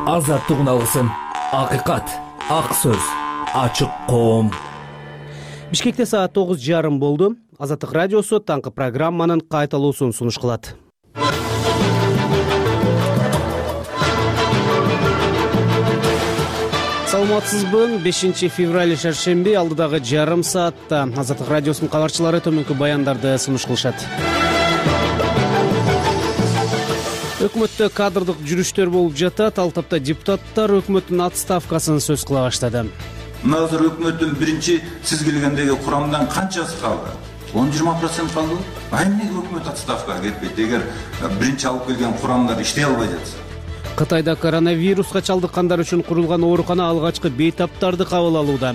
Азаттык алгысын, акыйкат, ак сөз, ачык коом. Бишкекте саат 9:30 болду. Азаттык радиосу таңкы программанын кайталуусун сунуш кылат. Саламатсызбы? 5 февраль шаршемби алдыдагы жарым саатта Азаттык радиосунун кабарчылары төмөнкү баяндарды сунуш кылышат. Өкмөттө кадрдык жүрүштөр болуп жатат. Ал тапта депутаттар өкмөттүн отставкасын сөз кыла баштады. Мына азыр өкмөттүн биринчи сиз келгендеги курамдан канчасы калды? 10-20% калды. Эмнеге өкмөт отставкага кетпейт? Эгер биринчи алып келген курамдар иштей албай жатса. Кытайда коронавируска чалдыккандар үчүн курулган оорукана алгачкы бейтаптарды кабыл алууда.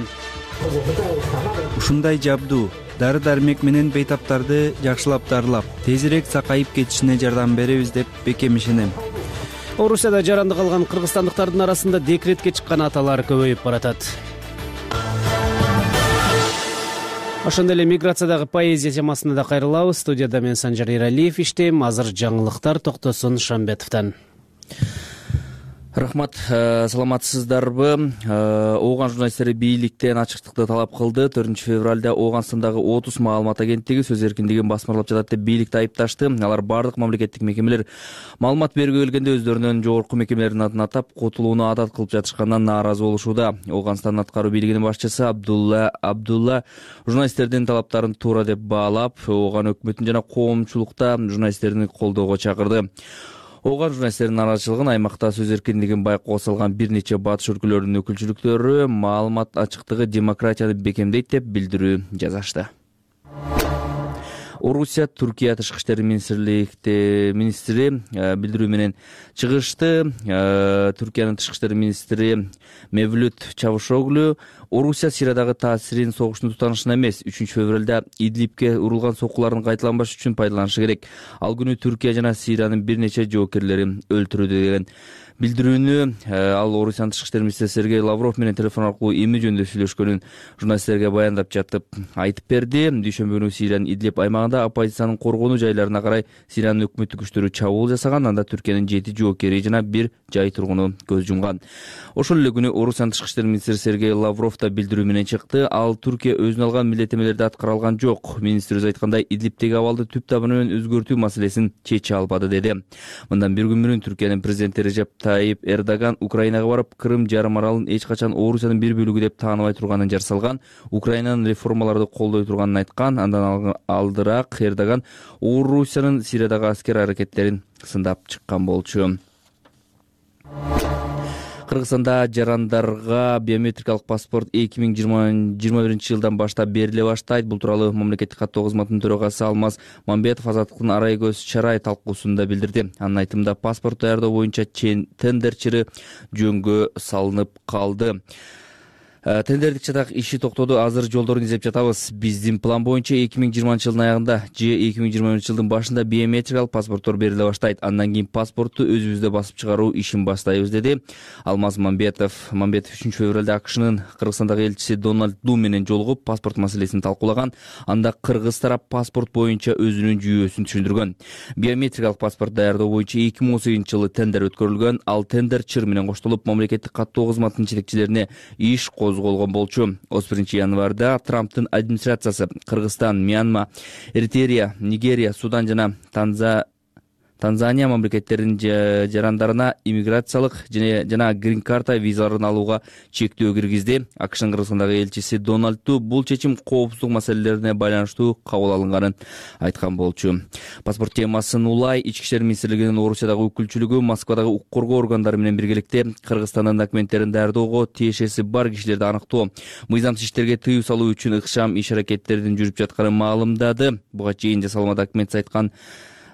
Ушундай жабдуу дары-дармек менен бейтаптарды жакшылап дарылап, тезирээк сакайып кетишине жардам беребиз деп бекем ишенем. Орусияда жаранды калган кыргызстандыктардын арасында декретке чыккан аталар көбөйүп баратат. Ошондой эле миграциядагы поэзия темасына да кайрылабыз. Студияда мен Санжар Эралиев иштейм. Азыр жаңылыктар Токтосун Шамбетовдон. Рахмат, саламатсыздарбы? Ооган журналисттери бийликтен ачыктыкты талап кылды. 4 февралда Ооганстандагы 30 маалымат агенттиги сөз эркиндигин басмырлап жатат деп бийликти айыпташты. Алар бардык мамлекеттик мекемелер маалымат бергө келгенде өздөрүнүн жогорку мекемелердин атын атап, котулууну адат кылып жатышкандан нааразы болушууда. Ооганстандын аткаруу бийлигинин башчысы Абдулла журналисттердин талаптарын туура деп баалап, Ооган өкмөтүн жана коомчулукта журналисттерди колдоого чакырды. Ооган журналисттердин нааразычылыгын аймакта сөз эркиндигин байкоого салган бир нече батыш өлкөлөрүнүн өкүлчүлүктөрү маалымат ачыктыгы демократияны бекемдейт деп билдирүү жазышты. Орусия Туркия тышкы иштер министри билдирүү менен чыгышты. Туркиянын тышкы иштер министри Мевлют Чавушоглу Орусия Сириядагы таасирин согуштун тутанышына эмес, 3 февралда Идлибке урулган соккулардын кайталанбаш үчүн пайдаланышы керек. Ал күнү Түркия жана Сириянын бир нече жоокерлери өлтүрүлдү деген билдирүүнү ал Орусиянын тышкы иштер министри Сергей Лавров менен телефон аркылуу эми жөнүндө сүйлөшкөнүн журналисттерге баяндап жатып айтып берди. Дүйшөмбү күнү Сириянын Идлиб аймагында оппозициянын коргонуу жайларына карай Сириянын өкмөттүк күчтөрү чабуул жасаган. Анда Түркиянын 7 жоокери жана 1 жай тургуну көз жумган. Ошол эле күнү Орусиянын тышкы иштер министри Сергей Лавров да билдирүү менен чыкты. Ал Түркия өзүнө алган милдеттенмелерди аткара алган жок. Министр өз айткандай Идлибтеги абалды түп табаны менен өзгөртүү маселесин чече албады деди. Мындан бир күн мурун Түркиянын президенти Режеп Тайип Эрдоган Украинага барып, Крым жарым аралын эч качан Орусиянын бир бөлүгү деп тааныбай турганын жар салган. Украинанын реформаларды колдой турганын айткан. Андан алдыраак Эрдоган Орусиянын Сириядагы аскер аракеттерин сындап чыккан болчу. Кыргызстанда жарандарга биометрикалык паспорт 2021 жылдан баштап бериле баштайт. Бул тууралуу мамлекеттик каттоо кызматынын төрагасы Алмаз Мамбетов Азаттыктын арай көз чарай талкуусунда билдирди. Анын айтымында паспорт даярдоо боюнча тендер чыры жөнгө салынып калды. Тендердик чатак иши токтоду. Азыр жолдорун издеп жатабыз. Биздин план боюнча 2020 жылдын аягында же 2021 жылдын башында биометрикалык паспорттор бериле баштайт. Андан кийин паспортту өзүбүздө басып чыгаруу ишин баштайбыз, деди Алмаз Мамбетов. 3 февралда АКШнын Кыргызстандагы элчиси Дональд Ду менен жолугуп, паспорт маселесин талкуулаган. Анда кыргыз тарап паспорт боюнча өзүнүн жүйөсүн түшүндүргөн. Биометрикалык паспорт даярдоо боюнча 2018 жылы тендер өткөрүлгөн. Ал тендер чыр менен коштолуп, мамлекеттик каттоо кызматынын жетекчилерине иш козголгон болчу. 31 январда Трамптын администрациясы Кыргызстан, Мьянма, Эритрея, Нигерия, Судан жана Танзания мамлекеттеринин жарандарына иммиграциялык жана грин карта визаларын алууга чектөө киргизди. АКШнын Кыргызстандагы элчиси Дональд Ту бул чечим коопсуздук маселелерине байланыштуу кабыл алынганын айткан болчу. Паспорт темасын улай Ички иштер министрлигинин Орусиядагы өкүлчүлүгү Москвадагы укук коргоо органдары менен биргеликте Кыргызстандын документтерин даярдоого тиешеси бар кишилерди аныктоо, мыйзамсыз иштерге тыюу салуу үчүн ыкчам иш аракеттердин жүрүп жатканын маалымдады. Буга чейин жасалма документ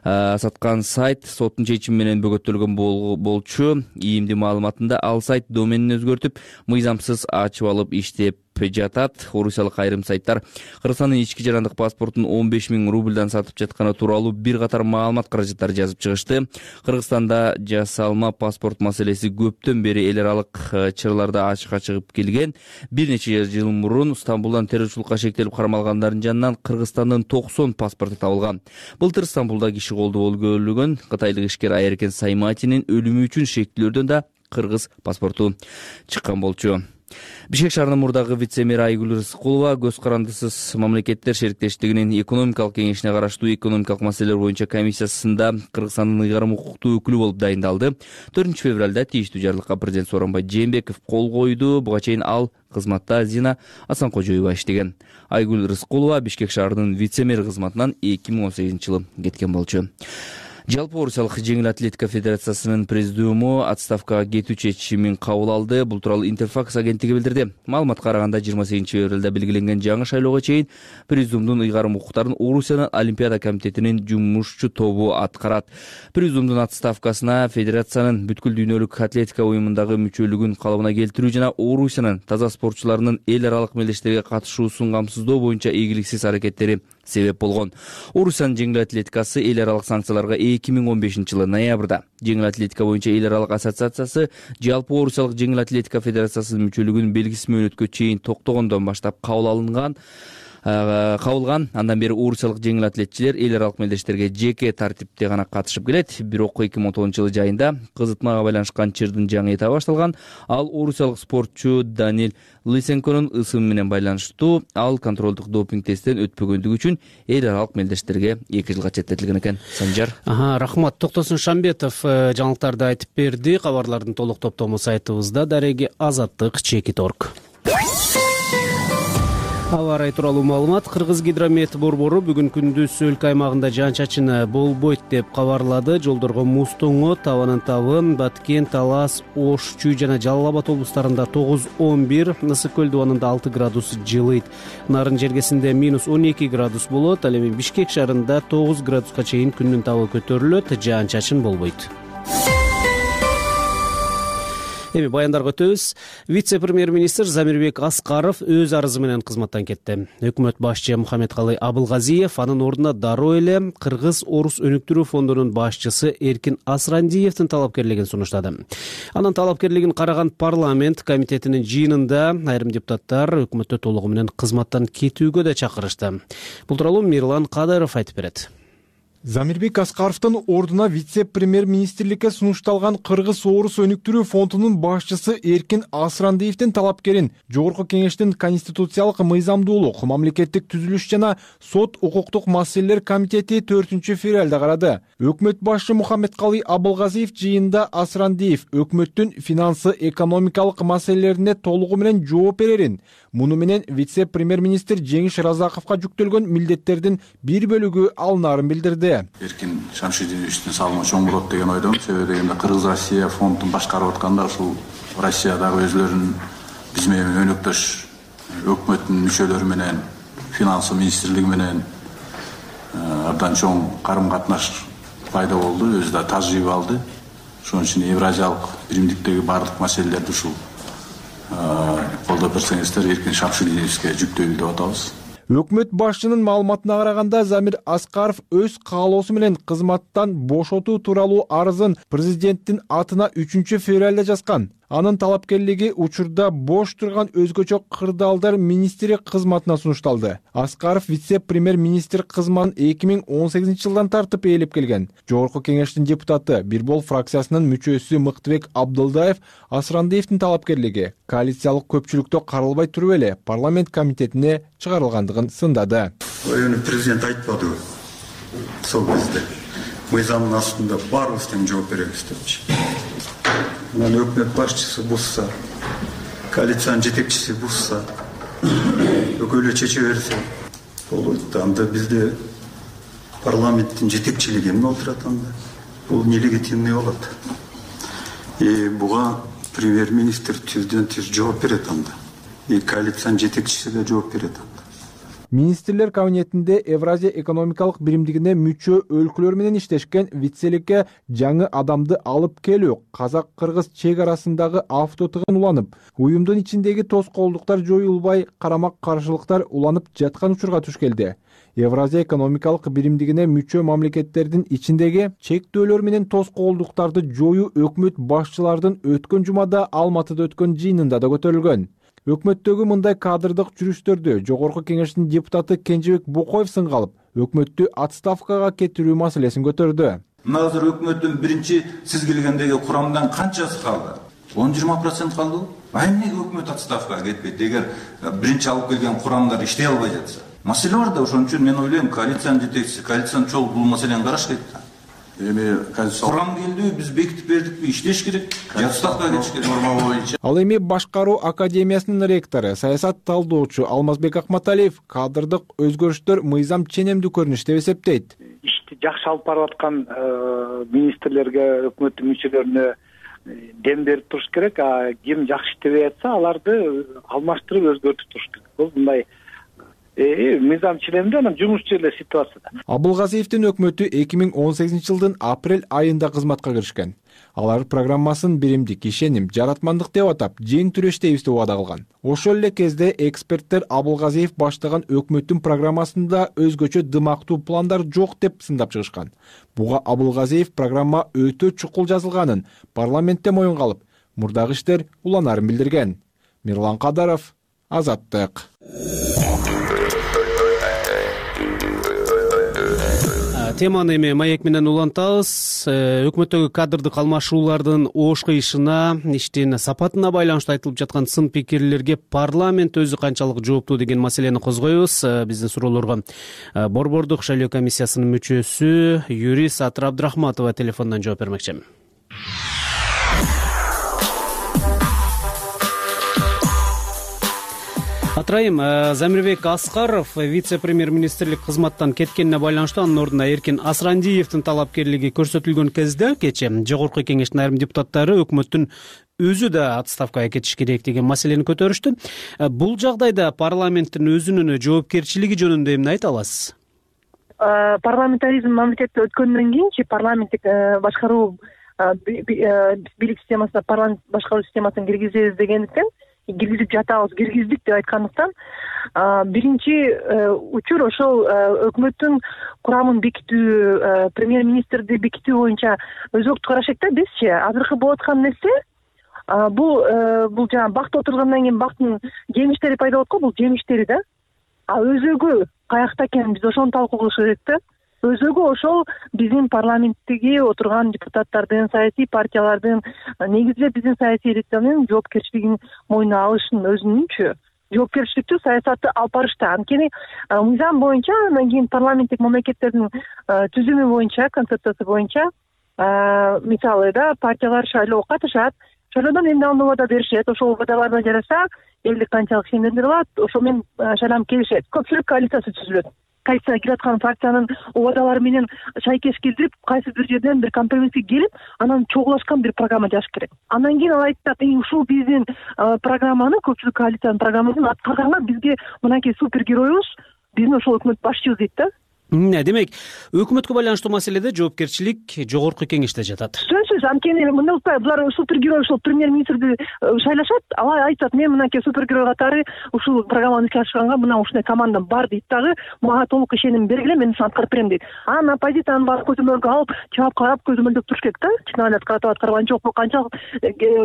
саткан сайт соттун чечими менен бөгөттөлгөн болчу. ИИМдин маалыматында ал сайт доменин өзгөртүп, мыйзамсыз ачып алып иштеп жатат. Орусиялык айрым сайттар Кыргызстандын ички жарандык паспортун 15 000 рубльдан сатып жатканы тууралуу бир катар маалымат каражаттары жазып чыгышты. Кыргызстанда жасалма паспорт маселеси көптөн бери эл аралык чырларда ачыкка чыгып келген. Бир нече жыл мурун Стамбулдан террорчулукка шектелип кармалгандардын жанынан Кыргызстандын 90 паспорту табылган. Былтыр Стамбулда киши колдоо өлгөн кытайлык ишкер Айеркен Сайматинин өлүмү үчүн шектүүлөрдөн да кыргыз паспорту чыккан болчу. Бишкек шаарынын мурдагы вице-мери Айгүл Рыскулова көз карандысыз мамлекеттер шериктештигинин экономикалык кеңешине караштуу экономикалык маселелер боюнча комиссиясында Кыргызстандын ыйгарым укуктуу өкүлү болуп дайындалды. 4-февралда тийиштүү жарлыкка президент Сооронбай Жээнбеков кол койду. Буга чейин ал кызматта Зина Асанкожоева иштеген. Айгүл Рыскулова Бишкек шаарынын вице-мери кызматынан 2018-жылы кеткен болчу. Жалпы Орусиялык жеңил атлетика федерациясынын президиуму отставкага кетүү чечимин кабыл алды. Бул тууралуу Интерфакс агенттиги билдирди. Маалыматка караганда 28-февралда белгиленген жаңы шайлоого чейин президиумдун ыйгарым укуктарын Орусиянын Олимпиада комитетинин жумушчу тобу аткарат. Президиумдун отставкасына федерациянын бүткүл дүйнөлүк атлетика уюмундагы мүчөлүгүн калыбына келтирүү жана Орусиянын таза спортчуларынын эл аралык мелдештерге катышуусун камсыздоо боюнча ийгиликсиз аракеттери себеп болгон. Орусиянын жеңил атлетикасы эл аралык санкцияларга 2015-жылы ноябрда жеңил атлетика боюнча эл аралык ассоциациясы жалпы Орусиялык жеңил атлетика федерациясынын мүчөлүгүн белгисиз мөөнөткө чейин токтогондон баштап кабылган. Андан бери Орусиялык жеңил атлетчилер эл аралык мелдештерге жеке тартипте гана катышып келет. Бирок 2019-жылы жайында кызытмага байланышкан чырдын жаңы этабы башталган. Ал орусиялык спортчу Данил Лысенконун ысымы менен байланыштуу. Ал контролдук допинг тесттен өтпөгөндүгү үчүн эл аралык мелдештерге 2 жылга четтетилген экен. Санжар. Рахмат. Токтосун Шамбетов жаңылыктарды айтып берди. Кабарлардын толук топтому сайтыбызда. Дареги Азаттык Чекит.орг. Аба ырайы тууралуу маалымат. Кыргыз гидромет борбору бүгүн күндүз өлкө аймагында жаан-чачын болбойт деп кабарлады. Жолдорго муз тоңот, табанын табын, Баткен, Талас, Ош, Чүй жана Жалал Абад облустарында 9-11, Ысык көл дубанында 6 градус жылыйт. Нарын жергесинде -12 градус болот. Ал эми Бишкек шаарында 9 градуска чейин күндүн табы көтөрүлөт, жаан-чачын болбойт. Эми баяндарга өтөбүз. Вице-премьер-министр Замирбек Аскаров өз арызы менен кызматтан кетти. Өкмөт башчы Мухаммедкалый Абылгазиев анын ордуна дароо эле Кыргыз-Орус өнүктүрүү фондунун башчысы Эркин Асрандиевдин талапкерлигин сунуштады. Анын талапкерлигин караган парламент комитетинин жыйынында айрым депутаттар өкмөттө толугу менен кызматтан кетүүгө да чакырышты. Бул тууралуу Мирлан Кадыров айтып берет. Замирбек Аскаровдун ордуна вице-премьер-министрликке сунушталган Кыргыз-Орус өнүктүрүү фондунун башчысы Эркин Асрандиевдин талапкерин Жогорку кеңештин конституциялык мыйзамдуулук, мамлекеттик түзүлүш жана сот укуктук маселелер комитети 4-февралда карады. Өкмөт башчы Мухаммедкалый Абылгазиев жыйында Асрандиев өкмөттүн финансы экономикалык маселелерине толугу менен жооп берерин, муну менен вице-премьер-министр Жеңиш Разаковго жүктөлгөн милдеттердин бир бөлүгү алынаарын билдирди. Эркин Шамшидиновичтин салымы чоң болот деген ойдомун. Себеби дегенде Кыргыз-Россия фондун башкарып атканда ушул Россиядагы өзлөрүнүн биз менен өнөктөш өкмөттүн мүчөлөрү менен, финансы министрлиги менен абдан чоң карым-катнаш пайда болду, өзү да тажрыйба алды. Ошон үчүн Евразиялык биримдиктеги баардык маселелерди ушул колдоп берсеңиздер Эркин Шамшидиновичке жүктөйлү деп атабыз. Өкмөт башчынын маалыматына караганда Замир Аскаров өз каалоосу менен кызматтан бошотуу тууралуу арызын президенттин атына 3-февралда жазган. Анын талапкерлиги учурда бош турган өзгөчө кырдаалдар министри кызматына сунушталды. Аскаров вице-премьер-министр кызматын 2018-жылдан тартып ээлеп келген. Жогорку кеңештин депутаты Бирбол фракциясынын мүчөсү Мыктыбек Абдылдаев Асрандиевдин талапкерлиги коалициялык көпчүлүктө каралбай туруп эле парламент комитетине чыгарылгандыгын сындады. Президент айтпадыбы? Сол кезде мыйзамдын астында баарыбыз тең жооп беребиз депчи. Өкмөт башчысы бузса, коалициянын жетекчиси бузса, өкөлө чече берсе болот. Анда бизде парламенттин жетекчилиги эмне отурат анда? Бул нелегитимный болот. Буга премьер-министр тизден тиз жооп берет анда. Коалициянын жетекчиси да жооп берет анда. Министрлер кабинетинде Евразия экономикалык биримдигине мүчө өлкөлөр менен иштешкен вицеликке жаңы адамды алып келүү, казак-кыргыз чек арасындагы автотыгын уланып, уюмдун ичиндеги тоскоолдуктар жоюлбай, карама-каршылыктар уланып жаткан учурга туш келди. Евразия экономикалык биримдигине мүчө мамлекеттердин ичиндеги чектөөлөр менен тоскоолдуктарды жоюу өкмөт башчылардын өткөн жумада Алматыда өткөн жыйынында да көтөрүлгөн. Өкмөттөгү мындай кадрдык жүрүштөрдү Жогорку кеңештин депутаты Кенжебек Бокоев сынга алып, өкмөттү отставкага кетирүү маселесин көтөрдү. Азыр өкмөттүн биринчи сиз келгендеги курамдан канчасы калды? 10-20% калды. Эмнеге өкмөт отставкага кетпейт? Эгер биринчи алып келген курамдар иштей албай жатса. Маселе бар да, ошон үчүн мен ойлойм, коалициянын жетекчиси, коалициянын чогуу бул маселени караш керек да. Эми Курам келдиби, биз бекитип бердикпи, иштеш керек, отставкага кетиш керек. Норма боюнча. Ал эми Башкаруу академиясынын ректору, саясат талдоочу Алмазбек Акматалиев кадрдык өзгөрүштөр мыйзам ченемдүү көрүнүш деп эсептейт. Ишти жакшы алып барып аткан министрлерге, өкмөттүн мүчөлөрүнө дем берип туруш керек. Ким жакшы иштебей атса, аларды алмаштырып өзгөртүп туруш керек. Бул мындай мыйзам ченемдүү, анан жумушчу эле ситуацияда. Абылгазиевдин өкмөтү 2018 жылдын апрель айында кызматка киришкен. Алар программасын биримдик, ишеним, жаратмандык деп атап, жең түрештейбиз деп убада кылган. Ошол эле кезде эксперттер Абылгазиев баштаган өкмөттүн программасында өзгөчө дымактуу пландар жок деп сындап чыгышкан. Буга Абылгазиев программа өтө чукул жазылганын парламентте моюнга алып, мурдагы иштер уланарын билдирген. Мирлан Кадаров, Азаттык. Теманы эми маек менен улантабыз. Өкмөттөгү кадрдык алмашуулардын ош кыйышына, иштин сапатына байланыштуу айтылып жаткан сын пикирлерге парламент өзү канчалык жооптуу деген маселени козгойбуз. Биздин суроолорго Борбордук шайлоо комиссиясынын мүчөсү юрист Атыр Абдрахматова телефондон жооп бермекчи. Атырайым, Замирбек Аскаров вице-премьер-министрлик кызматтан кеткенине байланыштуу анын ордуна Эркин Асрандиевдин талапкерлиги көрсөтүлгөн кезде кечээ жогорку кеңештин айрым депутаттары өкмөттүн өзү да отставкага кетиш керек деген маселени көтөрүштү. Бул жагдайда парламенттин өзүнүн жоопкерчилиги жөнүндө эмне айта аласыз? Парламентаризм мамлекетте өткөндөн кийинчи парламенттик башкаруу бийлик системасына парламент башкаруу системасын киргизебиз дегендиктен, киргизип жатабыз, киргиздик деп айткандыктан, биринчи учур ошол өкмөттүн курамын бекитүү, премьер-министрди бекитүү боюнча өзөктү караш керек да. Бизчи азыркы болуп аткан нерсе бул жана бакта отургандан кийин бактын жемиштери пайда болот го, бул жемиштери да. Өзөгү каякта экенин биз ошону талкуу кылыш керек да. Өзөгү ошол биздин парламенттеги отурган депутаттардын, саясий партиялардын, негизинен биздин саясий элитанын жоопкерчилигин мойнуна алышын, өзүнүнчү жоопкерчиликтүү саясатты алып барышта. Анткени мыйзам боюнча, андан кийин парламенттик мамлекеттердин түзүмү боюнча, концепциясы боюнча, мисалы да партиялар шайлоого катышат, шайлоодон эмне убада беришет, ошол убадаларына жараша элдик канчалык ишендирип алат, ошол менен шайланып келишет. Көпчүлүк коалициясы түзүлөт. Коалицияга кирип аткан фракциянын убадалары менен шайкеш келтирип, кайсы бир жерден бир компромисске келип, анан чогулашкан бир программа жазыш керек. Андан кийин ал айтат, ушул биздин программаны, көпчүлүк коалициянын программасын аткарганга бизге мынакей супергеройубуз, биздин ошол өкмөт башчыбыз дейт да. Демек, өкмөткө байланыштуу маселеде жоопкерчилик жогорку кеңеште жатат. Сөзсүз, анткени мындай укпай, булар супергерой ушул премьер-министрди шайлашат, ал айтат, мен мынакей супергерой катары ушул программаны ишке ашырганга мына ушундай командам бар дейт дагы, мага толук ишеним бергиле, мен ушуну аткарып берем дейт. Анан оппозициянын баары көзөмөлгө алып, чаап карап көзөмөлдөп туруш керек да. Чын эле аткарган жок, бул канчалык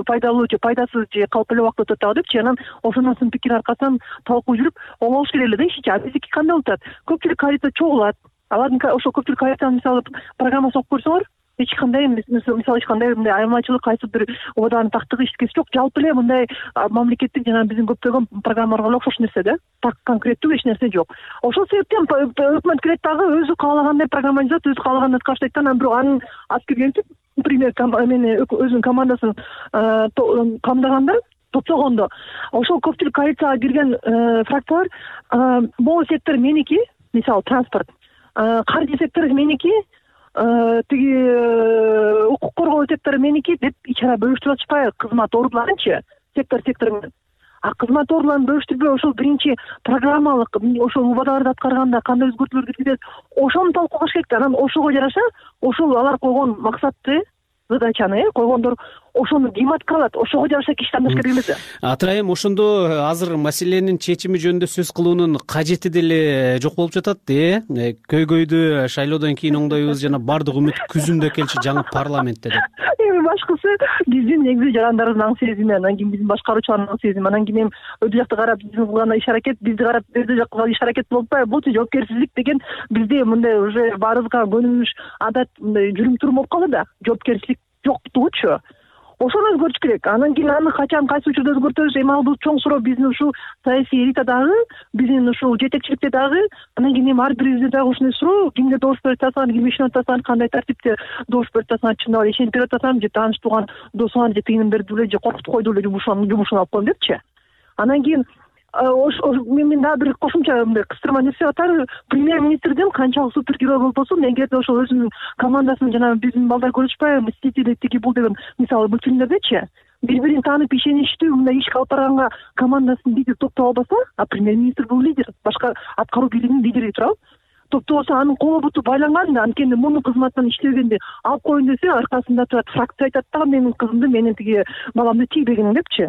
пайдалуу же пайдасыз же калп эле убакыт өтөт дагы депчи. Анан ошонун сын пикир аркасынан талкуу жүрүп, оңолуш керек эле да ишичи. Биздики кандай болуп атат? Көпчүлүк коалиция чогулат. Алардын ошол көпчүлүк коалициянын мисалы программасын окуп көрсөңөр, эч кандай мисалы эч кандай мындай айырмачылык, кайсы бир убадалардын тактыгы эчтекеси жок. Жалпы эле мындай мамлекеттик жана биздин көптөгөн программаларга эле окшош нерсе да. Так конкреттүү эч нерсе жок. Ошол себептен өкмөт келет дагы өзү каалагандай программа жазат, өзү каалагандай аткарыштайт да. Анан бирок анын аскер келип, например, өзүнүн командасын камдаганда, топтогондо, ошол көпчүлүк коалицияга кирген фракциялар могу сектор меники, мисалы транспорт, каржы сектору меники, тиги укук коргоо сектору меники деп ичара бөлүштүрүп атышпайбы кызмат ордуларынчы сектор менен. Кызмат ордуларын бөлүштүрбөй ошол биринчи программалык ошол убадаларды аткарганда кандай өзгөртүүлөр киргизет, ошону талкуулаш керек да. Анан ошого жараша ошол алар койгон максатты, задачаны койгондор ошону ким аткарат, ошого жараша киши тандаш керек эмес. Атырайым, ошондо азыр маселенин чечими жөнүндө сөз кылуунун кажети деле жок болуп жатат. Көйгөйдү шайлоодон кийин оңдойбуз жана бардык үмүт күзүндө келчү жаңы парламентте деп. Эми башкысы биздин негизи жарандардын аң сезими, анан кийин биздин башкаруучулардын аң сезими, анан кийин өтө жакты карап биздин кылган иш аракет, бизди карап өтө жакка иш аракет болуп атпайбы? Бул жоопкерчилик деген бизде мындай уже баарыбызга көнүмүш адат, мындай жүрүм турум болуп калды да. Жоопкерчилик жоктугучу. ошону өзгөртүш керек. Анан кийин аны качан кайсы учурда өзгөртөбүз, эми ал бул чоң суроо биздин ушул саясий элитадагы, биздин ушул жетекчиликте дагы, анан кийин эми ар бирибизде дагы ушундай суроо, кимге добуш берип атасың, ким ишенип атасың, кандай тартипте добуш берип атасың, чындап эле ишенип берип атасың же тааныш тууган досуңар же тигинин берди эле же коркутуп койду эле жумушун алып коем депчи. Анан кийин мен дагы бир кошумча мындай кыстырма нерсе атар, премьер-министрдин канчалык супергерой болбосун, эгерде ошол өзүнүн командасын жана биздин балдар көрүшпайбы, мстители тиги бул деген мисалы мультфильмдердечи бири-бирин таанып ишеничтүү мындай иш алып барганга командасын лидер топтоп албаса, а премьер-министр бул лидер, башка аткаруу бийлигинин лидери турабы, топтоп алса анын колу буту байланган да, анткени мунун кызматынан иштебегенди алып коеюн десе, аркасында турат фракция айтат да, менин кызымды, менин тиги баламды тийбегин депчи.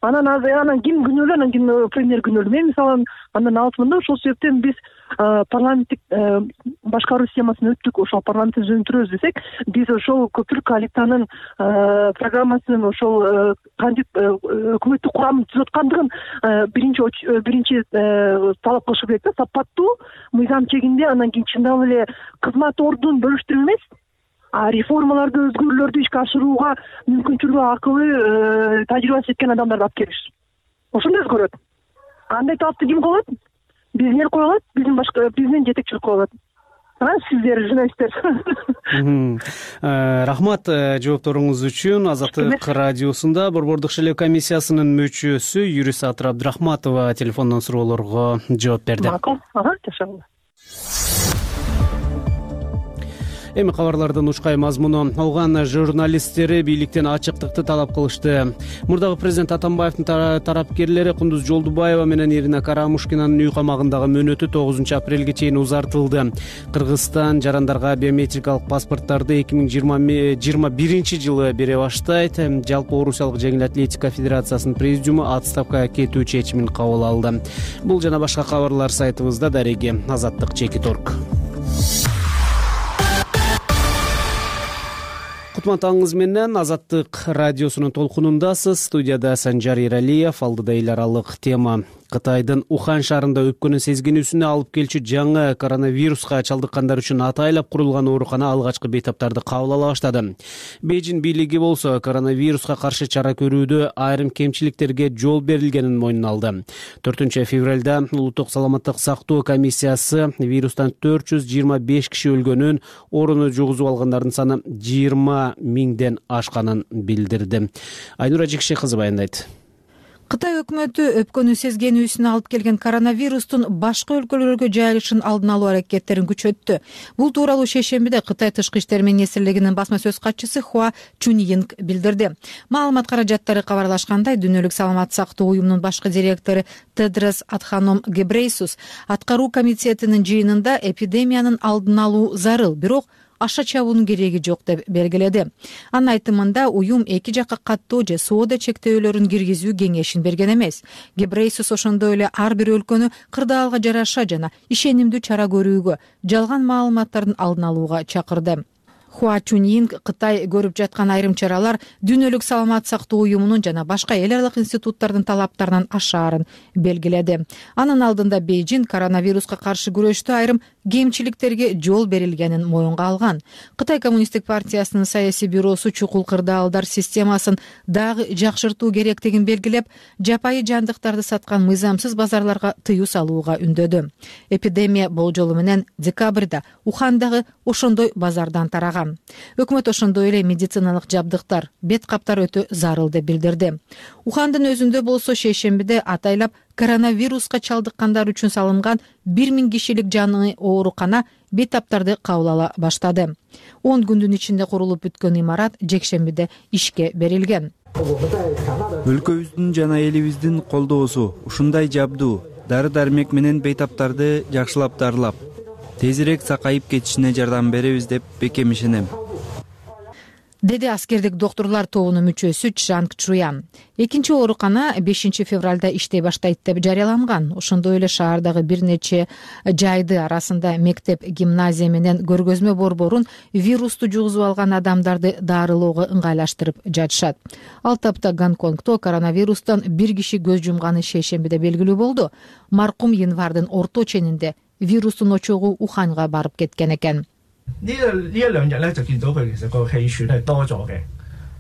Анан ким күнөөлүү, анан ким премьер күнөөлүү. Мен мисалы андан алатмын да, ошол себептен биз парламенттик башкаруу системасына өттүк, ошол парламентти жөнөндүрөбүз десек, биз ошол көпүрө коалициянын программасынын ошол өкмөттүк курамын түзүп аткандыгын биринчи талап кылышы керек да, сапаттуу, мыйзам чегинде, анан кийин чындап эле кызмат ордун бөлүштүрүп эмес, реформаларды, өзгөрүүлөрдү ишке ашырууга мүмкүнчүлүгү, акылы, тажрыйбасы жеткен адамдарды алып келиш. Ошондо өзгөрөт. Андай талапты ким коет? Биздин эл кое алат, биздин жетекчилик кое алат. Сиздер, журналисттер. Рахмат жоопторуңуз үчүн. Азаттык радиосунда Борбордук шайлоо комиссиясынын мүчөсү юрист Атыр Абдрахматова телефондон суроолорго жооп берди. Макул. Жашагыла. Эми кабарлардын ушкай мазмуну. Алган журналисттери бийликтен ачыктыкты талап кылышты. Мурдагы президент Атамбаевдин тарапкерлери Кундуз Жолдубаева менен Ирина Карамушкинанын үй камагындагы мөөнөтү 9 апрелге чейин узартылды. Кыргызстан жарандарга биометрикалык паспорттарды 2021 бере баштайт. Жалпы Орусиялык жеңил атлетика федерациясынын президиуму отставкага кетүү чечимин кабыл алды. Бул жана башка кабарлар сайтыбызда. Дареги Азаттык.org. Кутман менен Азаттык радиосунун толкунундасыз. Студияда Санжар Иралиев. Алдыда эл аралык тема. Кытайдын Ухан шаарында өпкөнү сезгенүүсүнө алып келчү жаңы коронавируска чалдыккандар үчүн атайлап курулган оорукана алгачкы бейтаптарды кабыл ала баштады. Бейжин бийлиги болсо коронавируска каршы чара көрүүдө айрым кемчиликтерге жол берилгенин мойнуна алды. 4 февралда Улуттук саламаттык сактоо комиссиясы вирустан 425 киши өлгөнүн, орууну жугузуп алгандардын саны 20 миңден ашканын билдирди. Айнура Жикши кызы баяндайт. Кытай өкмөтү өпкөнү сезгенүүсүнө алып келген коронавирустун башка өлкөлөргө жайылышын алдын алуу аракеттерин күчөттү. Бул тууралуу шейшембиде Кытай тышкы иштер министрлигинин басма сөз катчысы Хуа Чуньинг билдирди. Маалымат каражаттары кабарлашкандай, Дүйнөлүк саламаттык сактоо уюмунун башкы директору Тедрос Адханом Гебрейсус аткаруу комитетинин жыйынында эпидемиянын алдын алуу зарыл, бирок аша чабуунун кереги жок деп белгиледи. Анын айтымында уюм эки жакка каттоо же соода чектөөлөрүн киргизүү кеңешин берген эмес. Гебрейсус ошондой эле ар бир өлкөнү кырдаалга жараша жана ишенимдүү чара көрүүгө, жалган маалыматтардын алдын алууга чакырды. Хуа Чуньинг Кытай көрүп жаткан айрым чаралар Дүйнөлүк саламаттык сактоо уюмунун жана башка эл аралык институттардын талаптарынан ашаарын белгиледи. Анын алдында Бейжин коронавируска каршы күрөштө айрым кемчиликтерге жол берилгенин моюнга алган. Кытай коммунисттик партиясынын саясий бюросу чукул кырдаалдар системасын дагы жакшыртуу керектигин белгилеп, жапайы жандыктарды саткан мыйзамсыз базарларга тыюу салууга үндөдү. Эпидемия болжолу менен декабрда Ухандагы ошондой базардан тараган. Өкмөт ошондой эле медициналык жабдыктар, бет каптар өтө зарыл деп билдирди. Ухандын өзүндө болсо шейшембиде атайлап коронавируска чалдыккандар үчүн салынган 1000 кишилик жаңы оорукана бейтаптарды кабыл ала баштады. 10 күндүн ичинде курулуп бүткөн имарат жекшембиде ишке берилген. Өлкөбүздүн жана элибиздин колдоосу ушундай жабдуу дары-дармек менен бейтаптарды жакшылап дарылап, тезирээк сакайып кетишине жардам беребиз деп бекем ишенем, деди аскердик доктурлар тобунун мүчөсү Чжанг Чуян. Экинчи оорукана 5 февралда иштей баштайт деп жарыяланган. Ошондой эле шаардагы бир нече жайды арасында мектеп, гимназия менен көргөзмө борборун вирусту жугузуп алган адамдарды дарылоого ыңгайлаштырып жатышат. Ал тапта Гонконгдо коронавирустан бир киши көз жумганы шейшембиде белгилүү болду. Маркум январдын орто ченинде вирустун очогу Уханга барып кеткен экен.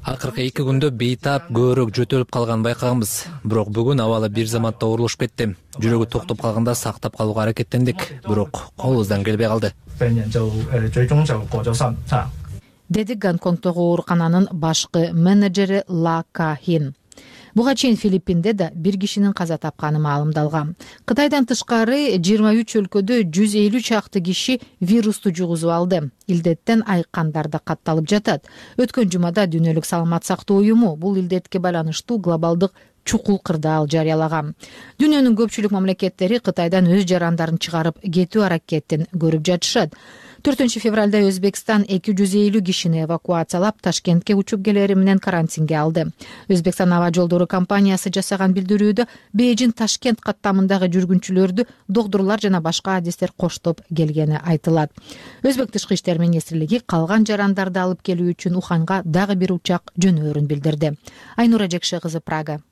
Акыркы 2 күндө бейтап көбүрөөк жөтөлүп калганын байкаганбыз. Бирок бүгүн абалы бир заматта оорулушуп кетти. Жүрөгү токтоп калганда сактап калууга аракеттендик, бирок колубуздан келбей калды. Деди Гонконгдогу оорукананын башкы менеджери Ла Кахин. Буга чейин Филиппинде да бир кишинин каза тапканы маалымдалган. Кытайдан тышкары 23 өлкөдө 150 чакты киши вирусту жугузуп алды. Илдеттен айыккандар да катталып жатат. Өткөн жумада Дүйнөлүк саламат сактоо уюму бул илдетке байланыштуу глобалдык чукул кырдаал жарыялаган. Дүйнөнүн көпчүлүк мамлекеттери Кытайдан өз жарандарын чыгарып кетүү аракетин көрүп жатышат. 4-февралда Өзбекстан 250 кишини эвакуациялап Ташкентке учуп келери менен карантинге алды. Өзбекстан аба жолдору компаниясы жасаган билдирүүдө Бейжин Ташкент каттамындагы жүргүнчүлөрдү доктурлар жана башка адистер коштоп келгени айтылат. Өзбек тышкы иштер министрлиги калган жарандарды алып келүү үчүн Уханга дагы бир учак жөнөөрүн билдирди. Айнура Жекше кызы, Прага.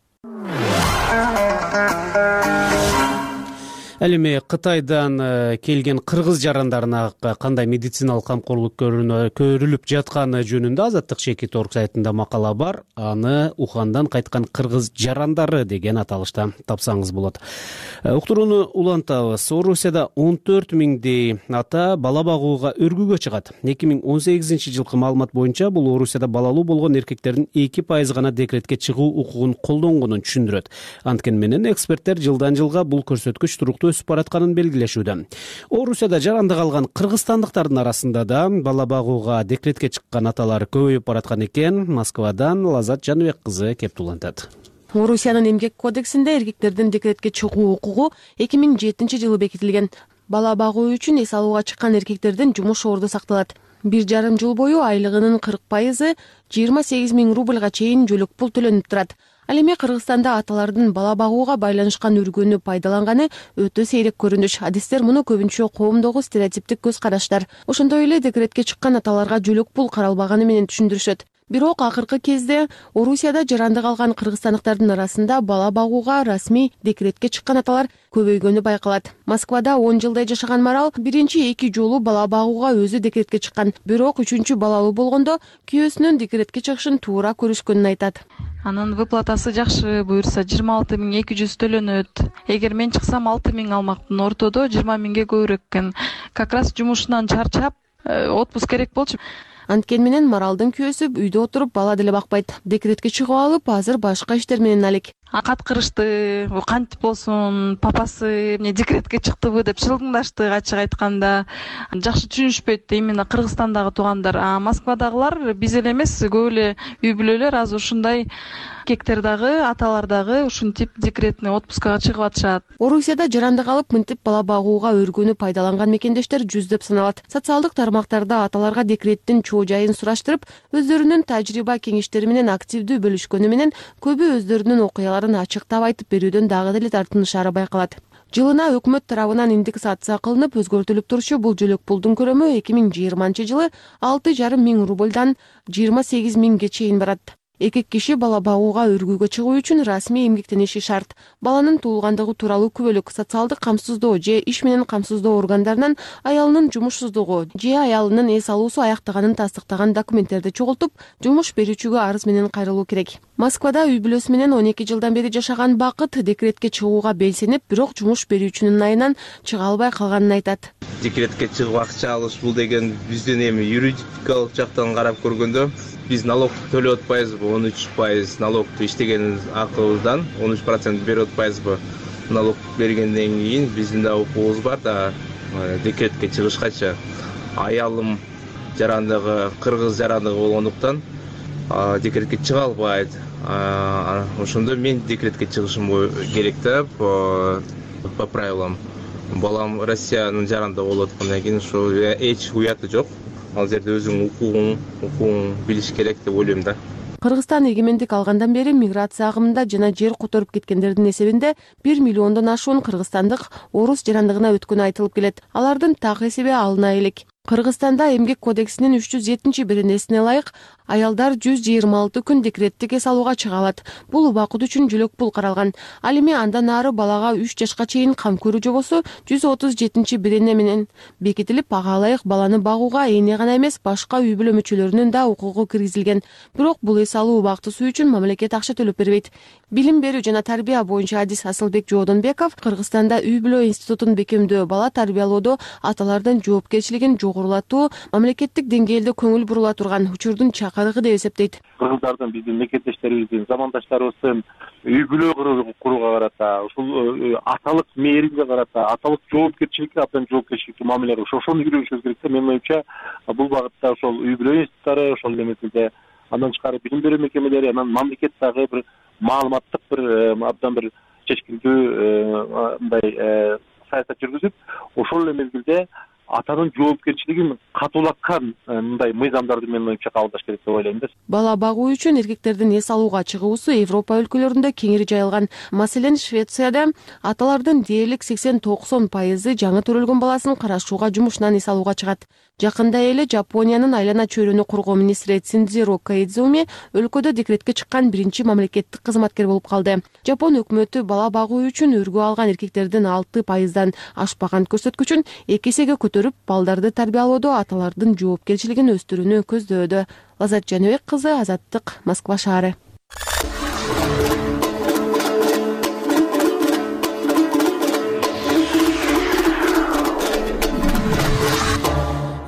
Ал эми Кытайдан келген кыргыз жарандарына кандай медициналык камкорлук көрүлүп жатканы жөнүндө Азаттык Шекит орг сайтында макала бар. Аны Ухандан кайткан кыргыз жарандары деген аталышта тапсаңыз болот. Уктурууну улантабыз. Орусияда 14 миңдей ата бала багууга өргүүгө чыгат. 2018 жылкы маалымат боюнча бул Орусияда балалуу болгон эркектердин 2% гана декретке чыгуу укугун колдонгонун түшүндүрөт. Анткени менен эксперттер жылдан жылга бул көрсөткүч туруктуу өсүп баратканын белгилешүүдө. Орусияда жарандык алган кыргызстандыктардын арасында да бала багууга декретке чыккан аталар көбөйүп бараткан экен. Москвадан Лазат Жаныбек кызы кеп улантат. Орусиянын эмгек кодексинде эркектердин декретке чыгуу укугу 2007 жылы бекитилген. Бала багуу үчүн эс алууга чыккан эркектердин жумуш орду сакталат. 1,5 жыл бою айлыгынын 40% 28 000 рубльга чейин жөлөк пул төлөнүп турат. Ал эми Кыргызстанда аталардын бала багууга байланышкан өргөнү пайдаланганы өтө сейрек көрүнүш. Адистер муну көбүнчө коомдогу стереотиптик көз караштар. Ошондой эле декретке чыккан аталарга жөлөк пул каралбаганы менен түшүндүрүшөт. Бирок акыркы кезде Орусияда жарандык алган кыргызстандыктардын арасында бала багууга расмий декретке чыккан аталар көбөйгөнү байкалат. Москвада 10 жылдай жашаган Марал биринчи 2 жолу бала багууга өзү декретке чыккан. Бирок 3-чү балалуу болгондо күйөөсүнүн декретке чыгышын туура көрүшкөнүн айтат. Анын выплатасы жакшы, буюрса 26 200 төлөнөт. Эгер мен чыксам 6 000 алмакмын, ортодо 20 000ге көбүрөөк экен. Как раз жумушунан чарчап, отпуск керек болчу. Анткени менен Маралдын күйөөсү үйдө отуруп бала деле бакпайт. Декретке чыгып алып, азыр башка иштер менен алек. Каткырышты, кантип болсун, папасы эмне декретке чыктыбы деп шылдыңдашты, ачык айтканда. Жакшы түшүнүшпөйт именно Кыргызстандагы туугандар. Москвадагылар биз эле эмес, көп эле үй бүлөлөр азыр ушундай эркектер дагы, аталар дагы ушинтип декретный отпускага чыгып атышат. Орусияда жарандык алып мынтип бала багууга өргөнү пайдаланган мекендештер жүздөп саналат. Социалдык тармактарда аталарга декреттин чоо жайын сураштырып, өздөрүнүн тажрыйба кеңештери менен активдүү бөлүшкөнү менен көбү өздөрүнүн окуяларын ачыктап айтып берүүдөн дагы деле тартынышары байкалат. Жылына өкмөт тарабынан индексация кылынып өзгөртүлүп турчу бул жөлөк пулдун көрөмү 2020 жылы 6,5 000 рубльдан 28 000ге чейин барат. Эркек киши бала багууга өргүүгө чыгуу үчүн расмий эмгектениши шарт. Баланын туулгандыгы тууралуу күбөлүк, социалдык камсыздоо же иш менен камсыздоо органдарынан аялынын жумушсуздугу же аялынын эс алуусу аяктаганын тастыктаган документтерди чогултуп, жумуш берүүчүгө арыз менен кайрылуу керек. Москвада үй бүлөсү менен 12 жылдан бери жашаган Бакыт декретке чыгууга белсенип, бирок жумуш берүүчүнүн айынан чыга албай калганын айтат. Декретке чыгып акча алыш бул деген биздин эми юридикалык жактан карап көргөндө биз налог төлөп атпайбызбы? 13% налогду иштеген акыбыздан 13% берип атпайбызбы? Налог бергенден кийин биздин да укугубуз бар да декретке чыгышкача. Аялым жарандыгы, кыргыз жарандыгы болгондуктан декретке чыга албайт. Ошондо мен декретке чыгышым керек да по правилам. Балам Россиянын жарандыгы болуп аткандан кийин ошо эч уяты жок. Ал жерде өзүң укугуң билиш керек деп ойлойм да. Кыргызстан эгемендик алгандан бери миграция агымында жана жер которуп кеткендердин эсебинде 1 миллиондон ашуун кыргызстандык орус жарандыгына өткөнү айтылып келет. Алардын так эсеби алына элек. Кыргызстанда эмгек кодексинин 307-беренесине ылайык Аялдар 126 күн декреттик эс алууга чыга алат. Бул убакыт үчүн жөлөк пул каралган. Ал эми андан ары балага 3 жашка чейин кам көрүү жобосу 137-берене менен бекитилип, ага ылайык баланы багууга эне гана эмес, башка үй бүлө мүчөлөрүнүн да укугу киргизилген. Бирок бул эс алуу убактысы үчүн мамлекет акча төлөп бербейт. Билим берүү жана тарбия боюнча адис Асылбек Жоодонбеков Кыргызстанда үй бүлө институтун бекемдөө, бала тарбиялоодо аталардын жоопкерчилигин жогорулатуу мамлекеттик деңгээлде көңүл бурула турган учурдун чакырыгы деп эсептейт. Кыргыздардын, биздин мекендештерибиздин, замандаштарыбыздын үй бүлө курууга карата, ушул аталык мээримге карата, аталык жоопкерчиликке абдан жоопкерчиликтүү мамиле ошону үйрөнүшүбүз керек да. Менин оюмча, бул багытта ошол үй бүлө институттары, ошол эмесинде андан тышкары билим берүү мекемелери, анан мамлекет дагы бир маалыматтык абдан бир чечкиндүү мындай саясат жүргүзүп, ошол эле мезгилде атанын жоопкерчилигин катуулаткан мындай мыйзамдарды менин оюмча кабылдаш керек деп ойлойм да. Бала багуу үчүн эркектердин эс алууга чыгуусу Европа өлкөлөрүндө кеңири жайылган. Маселен, Швецияда аталардын дээрлик 80-90% жаңы төрөлгөн баласын карашууга жумушунан эс алууга чыгат. Жакында эле Жапониянын айлана чөйрөнү коргоо министри Цинзиро Коидзуми өлкөдө декретке чыккан биринчи мамлекеттик кызматкер болуп калды. Жапон өкмөтү бала багуу үчүн өргө алган эркектердин 6%дан ашпаган көрсөткүчүн 2 эсеге көтөрүп, балдарды тарбиялоодо аталардын жоопкерчилигин өстүрүүнү көздөөдө. Лазат Жаныбек кызы, Азаттык, Москва шаары.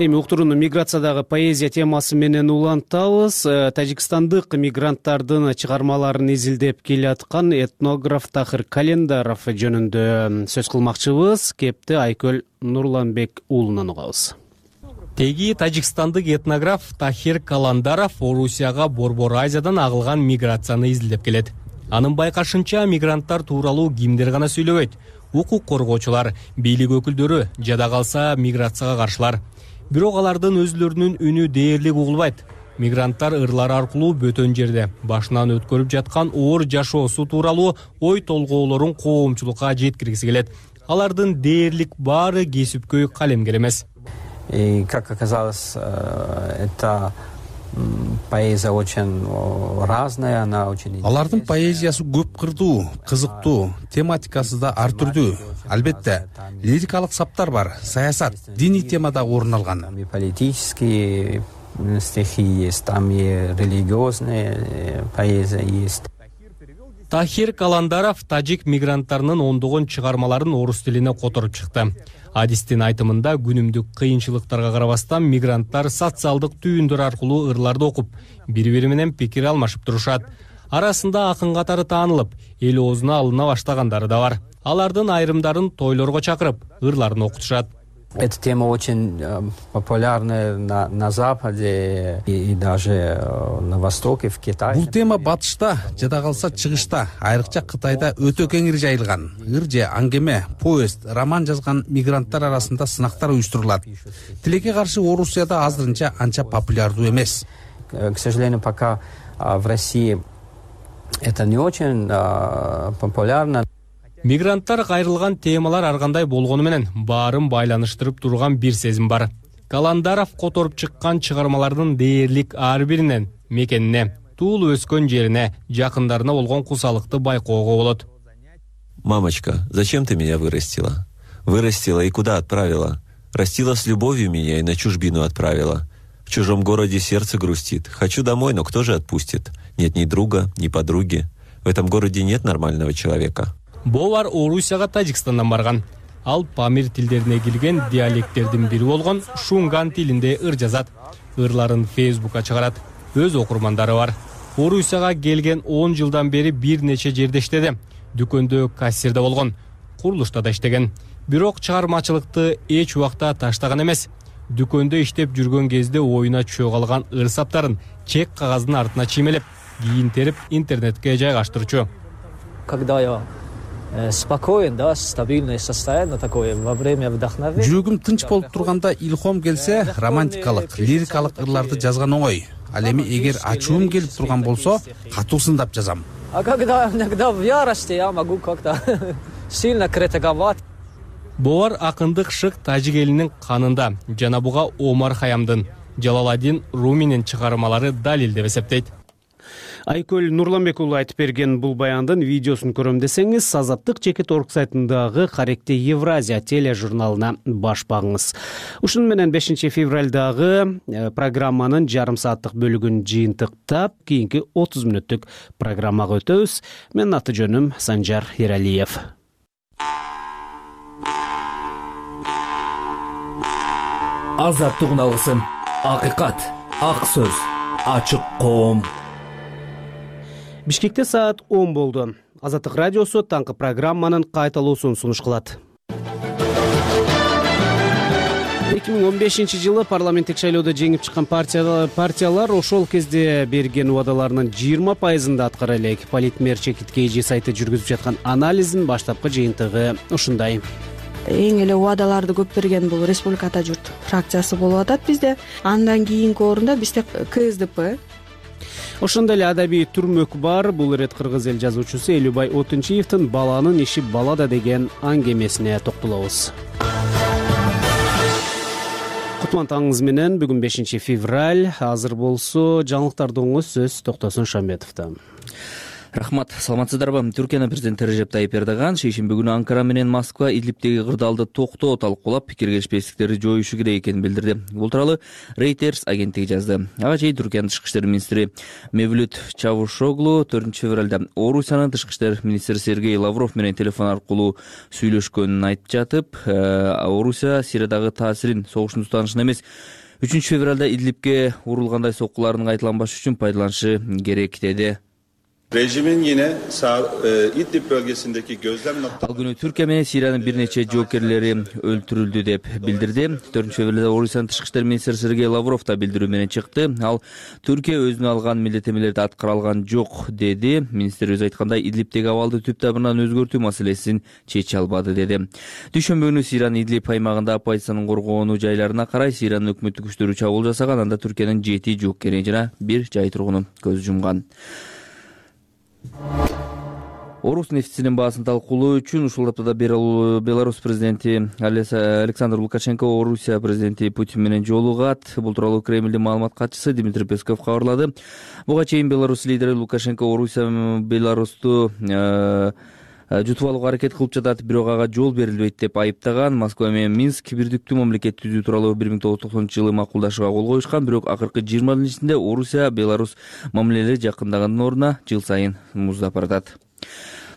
Эми уктурууну миграциядагы поэзия темасы менен улантабыз. Тажикстандык мигранттардын чыгармаларын изилдеп келаткан этнограф Тахир Календаров жөнүндө сөз кылмакчыбыз. Кепти Айкөл Нурланбек уулунан угабыз. Теги тажикстандык этнограф Тахир Календаров Орусияга Борбор Азиядан агылган миграцияны изилдеп келет. Анын байкашынча, мигранттар тууралуу кимдер гана сүйлөбөйт. Укук коргоочулар, бийлик өкүлдөрү, жада калса миграцияга каршылар. Бирок алардын өзлөрүнүн үнү дээрлик угулбайт. Мигранттар ырлар аркылуу бөтөн жерде башынан өткөрүп жаткан оор жашоосу тууралуу ой толгоолорун коомчулукка жеткиргиси келет. Алардын дээрлик баары кесипкөй калемгер эмес. И, как оказалось, это поэзия очень разная, она очень... Алардын поэзиясы көп кырдуу, кызыктуу, тематикасы да ар түрдүү. Албетте, лирикалык саптар бар, саясат, диний темада орун алган. Там и политические стихи есть, там и религиозная поэзия есть. Тахир Календаров тажик мигранттарынын ондогон чыгармаларын орус тилине которуп чыкты. Адистин айтымында күнүмдүк кыйынчылыктарга карабастан мигранттар социалдык түйүндөр аркылуу ырларды окуп, бири-бири менен пикир алмашып турушат. Арасында акын катары таанылып, эл оозуна алына баштагандары да бар. Алардын айрымдарын тойлорго чакырып, ырларын окутушат. Эта тема очень популярна на Западе и даже на Востоке, в Китае. Бул тема батышта, жада калса чыгышта, айрыкча Кытайда өтө кеңири жайылган. Ыр же аңгеме, повесть, роман жазган мигранттар арасында сынактар уюштурулат. Тилекке каршы Орусияда азырынча анча популярдуу эмес. К сожалению, пока в России это не очень популярно. Мигранттар кайрылган темалар ар кандай болгону менен баарын байланыштырып турган бир сезим бар. Календаров которуп чыккан чыгармалардын дээрлик ар биринен мекенине, туулуп өскөн жерине, жакындарына болгон кусалыкты байкоого болот. Мамочка, зачем ты меня вырастила? Вырастила и куда отправила? Растила с любовью меня и на чужбину отправила. В чужом городе сердце грустит. Хочу домой, но кто же отпустит? Нет ни друга, ни подруги. В этом городе нет нормального человека. Бовар Орусияга Тажикстандан барган. Ал памир тилдерине кирген диалекттердин бири болгон шунган тилинде ыр жазат. Ырларын Фейсбукка чыгарат. Өз окурмандары бар. Орусияга келген 10 жылдан бери бир нече жерде иштеди. Дүкөндө кассирде болгон, курулушта да иштеген. Бирок чыгармачылыкты эч убакта таштаган эмес. Дүкөндө иштеп жүргөн кезде оюна чөг алган ыр саптарын чек кагаздын артына чиймелеп, кийин терип интернетке жайгаштырчу. Когда я спокоен, да, стабильное состояние такое во время вдохновения. Жүрөгүм тынч болуп турганда илхом келсе, романтикалык, лирикалык ырларды жазган оңой. Ал эми эгер ачуум келип турган болсо, катуу сындап жазам. А когда иногда в ярости я могу как-то сильно критиковать. Бовар акындык шык тажик элинин канында. Жана буга Омар Хаямдын Жалаладдин Руминин чыгармалары далил деп эсептейт. Айкөл Нурланбек уулу айтып берген бул баяндын видеосун көрөм десеңиз, Азаттык.org сайтындагы Каректе Евразия тележурналына баш багыңыз. Ушун менен 5 февралдагы программанын жарым сааттык бөлүгүн жыйынтыктап, кийинки 30 мүнөттүк программага өтөбүз. Менин аты жөнүм Санжар Ералиев. Азаттык алгысым, акыйкат, ак сөз, ачык коом. Бишкекте саат 10 болду. Азаттык радиосу таңкы программанын кайталуусун сунуш кылат. 2015 жылы парламенттик шайлоодо жеңип чыккан партиялар ошол кезде берген убадаларынын 20%-ын аткара элек. Политмер Чекиткейжи сайты жүргүзүп жаткан анализдин баштапкы жыйынтыгы ушундай. Эң эле убадаларды көп берген бул Республика Ата журт фракциясы болуп атат бизде. Андан кийинки орунда бизде КСДП. Ошондой эле адабий түрмөк бар. Бул ирет кыргыз эл жазуучусу Элюбай Отунчиевдин баланын иши балада деген аңгемесине токтолобуз. Кутман таңыңыз менен бүгүн 5 февраль. Азыр болсо жаңылыктарды оңуз сөз Токтосун Шамбетовдон. Рахмат, саламатсыздарбы? Түркиянын президенти Режеп Тайип Эрдоган шейшемби күнү Анкара менен Москва Идлибтеги кырдаалды токтоо талкуулап, пикир келишпестиктерди жоюшу керек экенин билдирди. Бул тууралуу Reuters агенттиги жазды. Ага чейин Түркиянын тышкы иштер министри Мевлют Чавушоглу 4 февралда Орусиянын тышкы иштер министри Сергей Лавров менен телефон аркылуу сүйлөшкөнүн айтып жатып, Орусия Сириядагы таасирин согуштун устанышын эмес, 3 февралда Идлибке урулгандай соккулардын кайталанбашы үчүн пайдаланышы керек деди. Rejimin yine İdlib bölgesindeki gözlem Ал күнү Түркия менен Сириянын бир нече жоокерлери өлтүрүлдү деп билдирди. 4 февралда Орусиянын тышкы иштер министри Сергей Лавров да билдирүү менен чыкты. Ал Түркия өзүнө алган милдеттенмелерди аткара алган жок деди. Министр өз айткандай Идлибтеги абалды түп табынан өзгөртүү маселесин чече албады деди. Дүйшөмбү күнү Сириянын Идлиб аймагында оппозициянын коргоонуу жайларына карай Сириянын өкмөттүк күчтөрү чабуул жасаган. Анда Түркиянын 7 жоокери жана 1 жай тургуну көз жумган. Орус нефтисинин баасын талкуулоо үчүн ушул аптада Беларусь президенти Александр Лукашенко Орусия президенти Путин менен жолугат. Бул тууралуу Кремлдин маалымат катчысы Дмитрий Песков кабарлады. Буга чейин Беларусь лидери Лукашенко Орусия Беларусту жутуп алууга аракет кылып жатат, бирок ага жол берилбейт деп айыптаган. Москва менен Минск бирдиктүү мамлекет түзүү тууралуу 1990-жылы макулдашууга кол коюшкан, бирок акыркы 20 жылдын ичинде Орусия Беларусь мамилелери жакындагандын ордуна жыл сайын муздап баратат.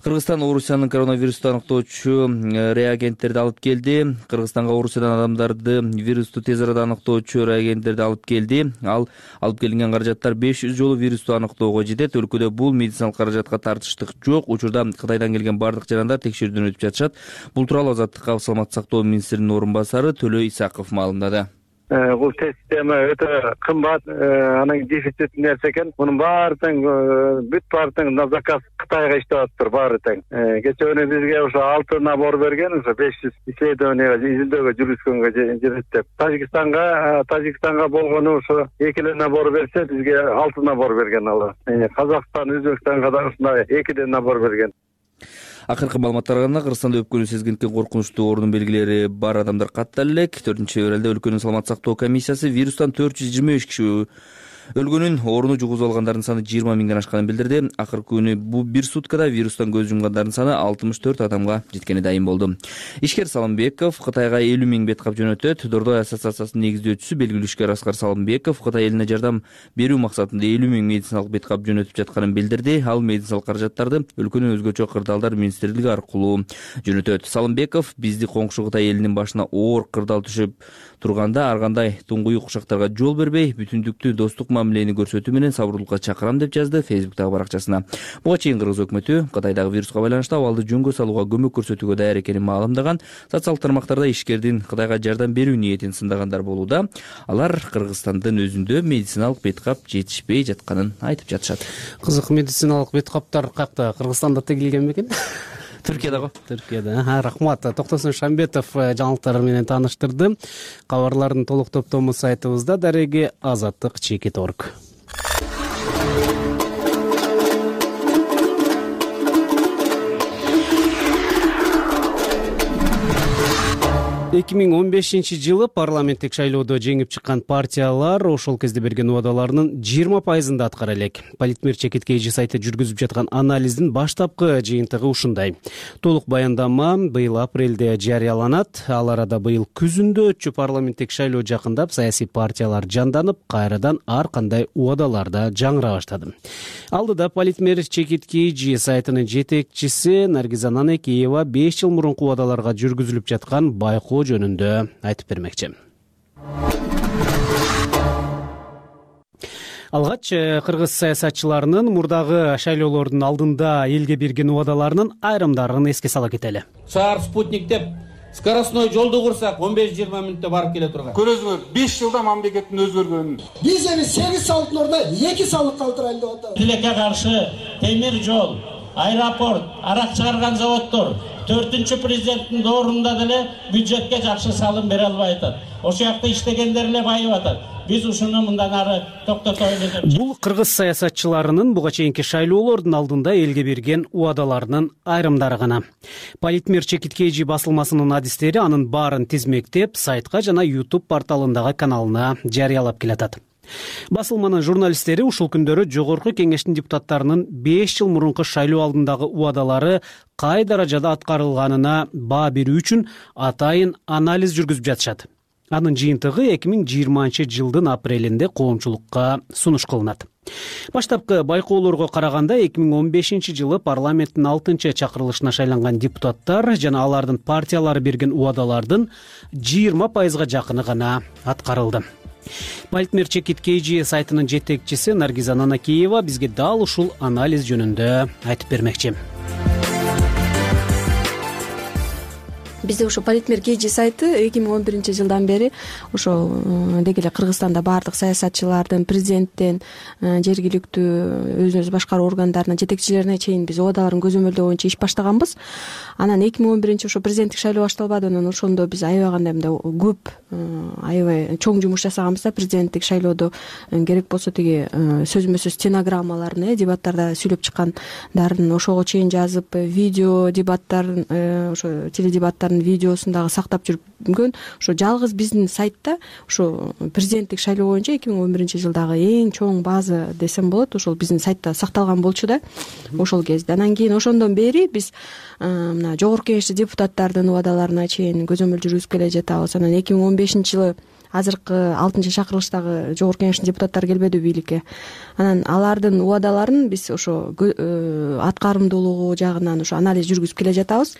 Кыргызстан Орусиянын коронавирусту аныктоочу реагенттерди алып келди. Кыргызстанга Орусиядан адамдарды вирусту тез арада аныктоочу реагенттерди алып келди. Ал алып келинген каражаттар 500 жолу вирусту аныктоого жетет. Өлкөдө бул медициналык каражатка тартыштык жок. Учурда Кытайдан келген бардык жарандар текшерүүдөн өтүп жатышат. Бул тууралуу Азаттыкка саламаттык сактоо министринин орун басары Төлө Исаков маалымдады. Бул система өтө кымбат, анын дефицит нерсе экен. Мунун баары тең бүт баарын на заказ Кытайга иштеп атыптыр баары тең. Кече күнү бизге ошо 6 набор берген, ошо 500 исследованияга изилдөөгө жүргүзгөнгө жетет деп. Тажикстанга болгону ошо 2 набор берсе, бизге 6 набор берген ал. Казакстан, Өзбекстанга да ушундай 2 набор берген. Акыркы маалыматтарга караганда Кыргызстанда өпкөнү сезгенден коркунучтуу оорунун белгилери бар адамдар каттала элек. 4 февралда өлкөнүн саламаттык сактоо комиссиясы вирустан 425 киши өлгөнүн, орууну жугузуп алгандардын саны 20 миңден ашканын билдирди. Акыркы күнү бул бир суткада вирустан көз жумгандардын саны 64 адамга жеткени дайым болду. Ишкер Салымбеков Кытайга 50 миң бет кап жөнөтөт. Дордой ассоциациясынын негиздөөчүсү белгилүү ишкер Аскар Салымбеков Кытай элине жардам берүү максатында 50 миң медициналык бет кап жөнөтүп жатканын билдирди. Ал медициналык каражаттарды өлкөнүн өзгөчө кырдаалдар министрлиги аркылуу жөнөтөт. Салымбеков бизди коңшу Кытай элинин башына оор кырдаал түшүп турганда ар кандай туңгуюк ушактарга жол бербей, бүтүндүктүү достук мамилени көрсөтүү менен сабырдуулукка чакырам деп жазды Facebook'тагы баракчасына. Буга чейин Кыргыз өкмөтү Кытайдагы вируска байланыштуу абалды жөнгө салууга көмөк көрсөтүүгө даяр экенин маалымдаган. Социалдык тармактарда ишкердин Кытайга жардам берүү ниетин сындагандар болууда. Алар Кыргызстандын өзүндө медициналык бет кап жетишпей жатканын айтып жатышат. Кызык, медициналык бет каптар какта Кыргызстанда тегилген бекен? Түркияда. Рахмат. Токтосун Шамбетов жаңылыктар менен тааныштырды. Кабарлардын толук топтому сайтыбызда, дареги Азаттык.org. 2015 жылы парламенттик шайлоодо жеңип чыккан партиялар ошол кезде берген убадаларынын 20% аткара элек. Политмер Чекиткейжи сайты жүргүзүп жаткан анализдин баштапкы жыйынтыгы ушундай. Толук баяндама быйыл апрелде жарыяланат. Ал арада быйыл күзүндө өтчү парламенттик шайлоо жакындап, саясий партиялар жанданып, кайрадан ар кандай убадаларда жаңыра баштады. Алдыда Политмер Чекиткейжи сайтынын жетекчиси Наргиза Нанакиева 5 жыл мурунку убадаларга жүргүзүлүп жаткан байкоо жөнүндө айтып бермекчи. Алгач кыргыз саясатчыларынын мурдагы шайлоолордун алдында элге берген убадаларынын айрымдарын эске сала кетели. Шаар спутник деп скоростной жолду курсак 15-20 мүнөттө барып келе турган. Көрөсүңөр 5 жылда мамлекеттин өзгөргөнүн. Биз эми 8 салыктын ордуна 2 салык калтырайлы деп атабыз. Тилекке каршы темир жол, аэропорт, арак чыгарган заводдор 4-чү президенттин доорунда деле бюджетке жакшы салым бере албай атат. Ошол жакта иштегендер эле байып атат. Биз ушуну мындан ары токтотойлу деп. Бул кыргыз саясатчыларынын буга чейинки шайлоолордун алдында элге берген убадаларынын айрымдары гана. Политмер Чекиткейжи басылмасынын адистери анын баарын тизмектеп, сайтка жана YouTube порталындагы каналына жарыялап келатат. Басылманын журналисттери ушул күндөрү жогорку кеңештин депутаттарынын 5 жыл мурунку шайлоо алдындагы убадалары кай даражада аткарылганына баа берүү үчүн атайын анализ жүргүзүп жатышат. Анын жыйынтыгы 2020 жылдын апрелинде коомчулукка сунуш кылынат. Баштапкы байкоолорго караганда 2015 жылы парламенттин 6-чакырылышына шайланган депутаттар жана алардын партиялары берген убадалардын 20% жакыны гана аткарылды. Политмер Чекиткейжи сайтынын жетекчиси Наргиза Нанакиева бизге дал ушул анализ жөнүндө айтып бермекчи. Бизде ошо Политмер Кейжи сайты 2011 жылдан бери ошо деги эле Кыргызстанда баардык саясатчылардын, президенттен, жергиликтүү өзүн өзү башкаруу органдарынын жетекчилерине чейин биз убадаларын көзөмөлдөө боюнча иш баштаганбыз. Анан 2011 ошо президенттик шайлоо башталбады, анан ошондо биз аябагандай мындай көп аябай чоң жумуш жасаганбыз да. Президенттик шайлоодо керек болсо тиги сөзмө сөз стенограммаларын, дебаттарда сүйлөп чыккандарын ошого чейин жазып, видео дебаттарын, ошо теледебаттарын видеосун дагы сактап жүргөн. Ошо жалгыз биздин сайтта ошо президенттик шайлоо боюнча 2011 жылдагы эң чоң база десем болот, ошол биздин сайтта сакталган болчу да ошол кезде. Анан кийин ошондон бери биз мына жогорку кеңештин депутаттардын убадаларына чейин көзөмөл жүргүзүп келе жатабыз. Анан 2015 жылы азыркы 6-чакырылыштагы жогорку кеңештин депутаттары келбеди бийликке. Анан алардын убадаларын биз ошо аткарымдуулугу жагынан ошо анализ жүргүзүп келе жатабыз.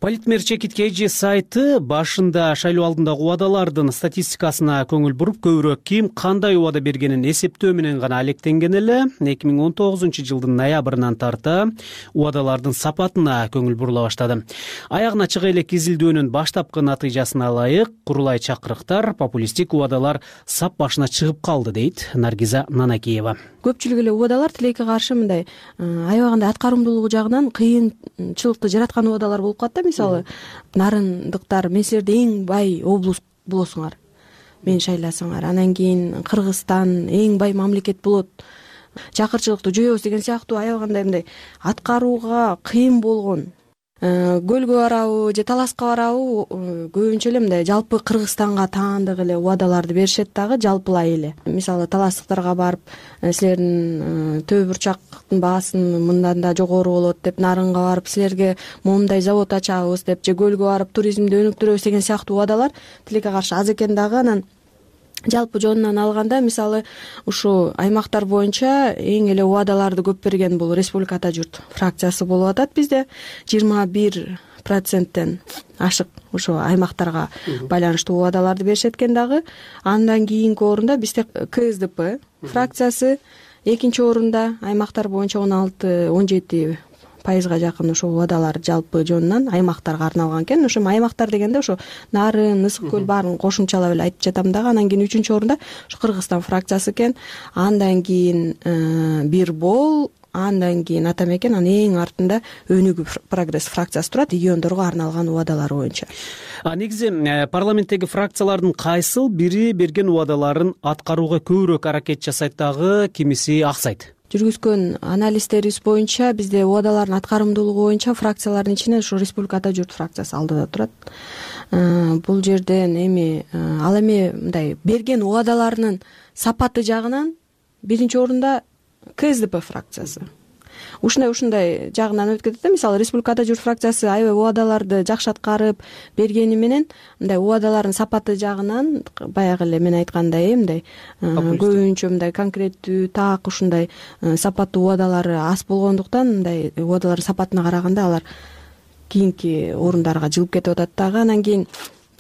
Политмер Чекиткейжи сайты башында шайлоо алдындагы убадалардын статистикасына көңүл буруп, көбүрөөк ким кандай убада бергенин эсептөө менен гана алектенген эле. 2019 жылдын ноябрынан тарта убадалардын сапатына көңүл бурула баштады. Аягына чыга элек изилдөөнүн баштапкы натыйжасына ылайык курулай чакырыктар, популисттик убадалар сап башына чыгып калды, дейт Наргиза Нанакиева. Көпчүлүк эле убадалар тилекке каршы мындай аябагандай аткарымдуулугу жагынан кыйынчылыкты жараткан убадалар болуп калат да. Мисалы, нарындыктар, мен силерде эң бай облус болосуңар, мени шайласаңар, анан кийин Кыргызстан эң бай мамлекет болот, чакырчылыкты жоебуз деген сыяктуу аябагандай мындай аткарууга кыйын болгон, көлгө барабы же таласка барабы, көбүнчө эле мындай жалпы Кыргызстанга таандык эле убадаларды беришет дагы, жалпылай эле. Мисалы, таластыктарга барып, силердин төө бурчактын баасын мындан да жогору болот деп, нарынга барып силерге моундай завод ачабыз деп, же көлгө барып туризмди өнүктүрөбүз деген сыяктуу убадалар тилекке каршы аз экен дагы. Анан жалпы жонунан алганда, мисалы, ушу аймактар боюнча эң эле убадаларды көп берген бул Республика Ата журт фракциясы болуп атат. Бизде 21%тен ашык ошо аймактарга байланыштуу убадаларды беришет экен дагы. Андан кийинки орунда бизде КСДП фракциясы, экинчи орунда аймактар боюнча 16-17% жакын ошо убадалар жалпы жонунан аймактарга арналган экен. Ошо аймактар дегенде ошо Нарын, Ысык көл баарын кошумчалап эле айтып жатам дагы. Анан кийин 3-чү орунда ошо Кыргызстан фракциясы экен. Андан кийин Бир Бол, андан кийин Атамекен, анан эң артында Өнүгүү Прогресс фракциясы турат, региондорго арналган убадалар боюнча. Негизи парламенттеги фракциялардын кайсыл бири берген убадаларын аткарууга көбүрөөк аракет жасайт дагы, кимиси аксайт? Жүргүзгөн анализтерибиз боюнча бизде убадалардын аткарымдуулугу боюнча фракциялардын ичинен ушу Республика Ата журт фракциясы алдыда турат. бул жерден эми ал эми мындай берген убадаларынын сапаты жагынан биринчи орунда КСДП фракциясы ушундай жагынан өтүп кетет да. Мисалы Республикада журт фракциясы аябай убадаларды жакшы аткарып бергени менен мындай убадалардын сапаты жагынан баягы эле мен айткандай мындай көбүнчө мындай конкреттүү так ушундай сапаттуу убадалары аз болгондуктан мындай убадалардын сапатына караганда алар кийинки орундарга жылып кетип атат дагы. Анан кийин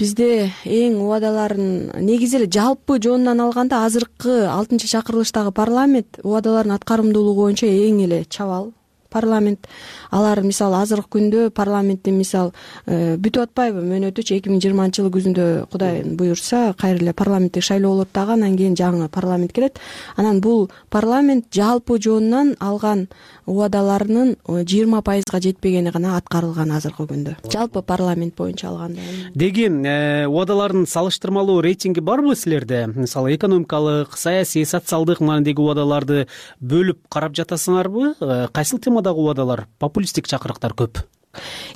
бизде эң убадаларын негизи эле жалпы жонунан алганда азыркы 6-чакырылыштагы парламент убадалардын аткарымдуулугу боюнча эң эле чабал парламент. Алар мисалы азыркы күндө парламенттин мисалы бүтүп атпайбы мөөнөтүчү 2020-жылы күзүндө Кудай буюрса кайра эле парламенттик шайлоо болот дагы, анан кийин жаңы парламент келет. Анан бул парламент жалпы жонунан алган убадаларынын 20%га жетпегени гана аткарылган азыркы күндө жалпы парламент боюнча алганда. Деги убадалардын салыштырмалуу рейтинги барбы силерде? Мисалы экономикалык, саясий, социалдык маанидеги убадаларды бөлүп карап жатасыңарбы? Кайсыл темадагы убадалар популисттик чакырыктар көп?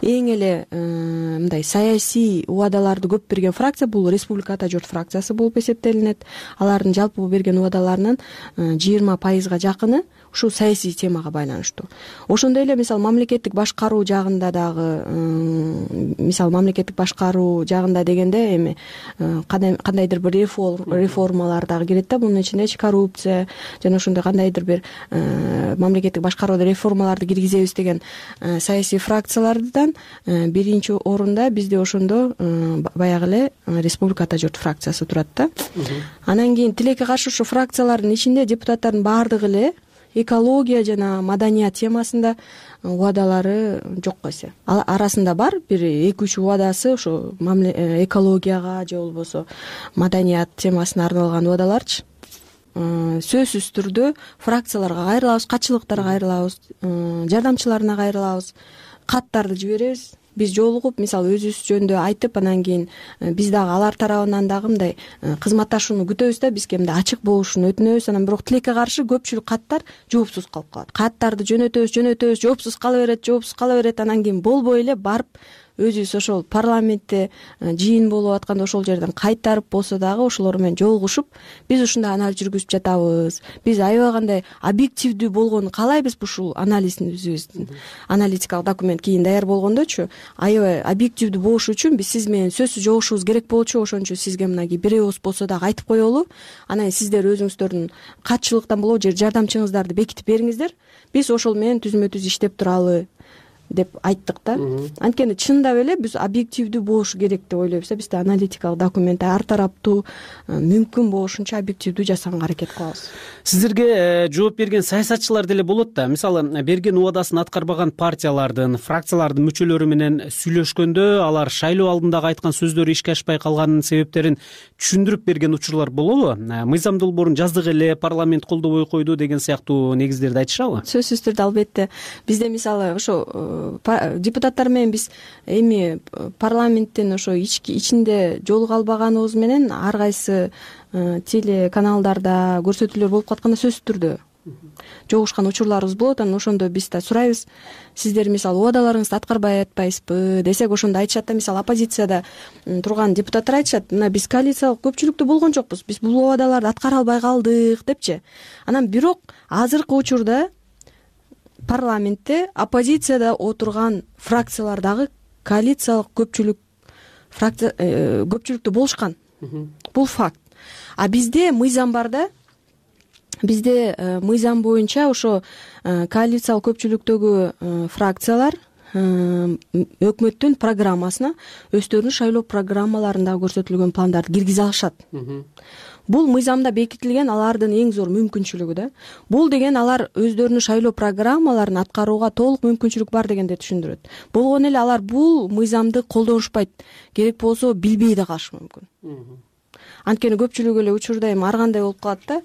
Эң эле мындай саясий убадаларды көп берген фракция бул Республикада журт фракциясы болуп эсептелинет. Алардын жалпы берген убадаларынын 20%га жакыны ушул саясий темага байланыштуу. Ошондой эле мисалы мамлекеттик башкаруу жагында дагы мисалы мамлекеттик башкаруу жагында дегенде эми кандайдыр бир реформалар дагы кирет да. Мунун ичинде коррупция жана ошондой кандайдыр бир мамлекеттик башкарууда реформаларды киргизебиз деген саясий фракциялардан биринчи орунда бизде ошондо баягы эле Республикада журт фракциясы турат да. Анан кийин тилекке каршы ушу фракциялардын ичинде депутаттардын баардыгы эле экология жана маданият темасында убадалары жок эсе. Ал арасында бар бир 2-3 убадасы ошо экологияга же болбосо маданият темасына арналган убадаларчы. Сөзсүз түрдө фракцияларга кайрылабыз, катчылыктарга кайрылабыз, жардамчыларына кайрылабыз, каттарды жиберебиз. Биз жолугуп мисалы өзүбүз жөнүндө айтып, анан кийин биз дагы алар тарабынан дагы мындай кызматташууну күтөбүз да, бизге мындай ачык болушун өтүнөбүз. Анан бирок тилекке каршы көпчүлүк каттар жоопсуз калып калат. Каттарды жөнөтөбүз, жоопсуз кала берет, анан кийин болбой эле барып өзүбүз ошол парламентте жыйын болуп атканда ошол жерден кайтарып болсо дагы ошолор менен жолугушуп биз ушундай анализ жүргүзүп жатабыз. Биз аябай кандай объективдүү болгонун каалайбыз ушул анализибиздин. Аналитикалык документ кийин даяр болгондочу аябай объективдүү болуш үчүн биз сиз менен сөзсүз жолугушубуз керек болчу. Ошон үчүн сизге мынагей бир ооз болсо дагы айтып коелу. Анан сиздер өзүңүздөрдүн катчылыктан болобу же жардамчыңыздарды бекитип бериңиздер. Биз ошол менен түзмө-түз иштеп туралы деп айттык да. Анткени чындап эле биз объективдүү болушу керек деп ойлойбуз да. Бизде аналитикалык документ ар тараптуу мүмкүн болушунча объективдүү жасаганга аракет кылабыз. Сиздерге жооп берген саясатчылар деле болот да. Мисалы берген убадасын аткарбаган партиялардын, фракциялардын мүчөлөрү менен сүйлөшкөндө алар шайлоо алдындагы айткан сөздөрү ишке ашпай калганынын себептерин түшүндүрүп берген учурлар болобу? Мыйзам долбоорун жаздык эле парламент колдобой койду деген сыяктуу негиздерди айтышабы? Сөзсүз түрдө албетте. Бизде мисалы ошо депутаттар менен биз эми парламенттин ошо ичинде жолуга албаганыбыз менен ар кайсы телеканалдарда көрсөтүүлөр болуп катканда сөзсүз түрдө жолугушкан учурларыбыз болот. Анан ошондо биз да сурайбыз, сиздер мисалы убадаларыңызды аткарбай атпайсызбы десек, ошондо айтышат да, мисалы оппозицияда турган депутаттар айтышат, мына биз коалициялык көпчүлүктө болгон жокпуз, биз бул убадаларды аткара албай калдык депчи. Анан бирок азыркы учурда парламентте оппозицияда отурган фракциялардагы коалициялык көпчүлүктө болушкан. Бул факт. А бизде мыйзам бар да. Бизде мыйзам боюнча ошо коалициялык көпчүлүктөгү фракциялар өкмөттүн программасына өздөрүнүн шайлоо программаларында көрсөтүлгөн пландарды киргизе алышат. Бул мыйзамда бекитилген алардын эң зор мүмкүнчүлүгү да. Бул деген алар өздөрүнүн шайлоо программаларын аткарууга толук мүмкүнчүлүк бар дегенди түшүндүрөт. Болгону эле алар бул мыйзамды колдонушпайт. Керек болсо билбей да калышы мүмкүн. Анткени көпчүлүк эле учурда эми ар кандай болуп калат да.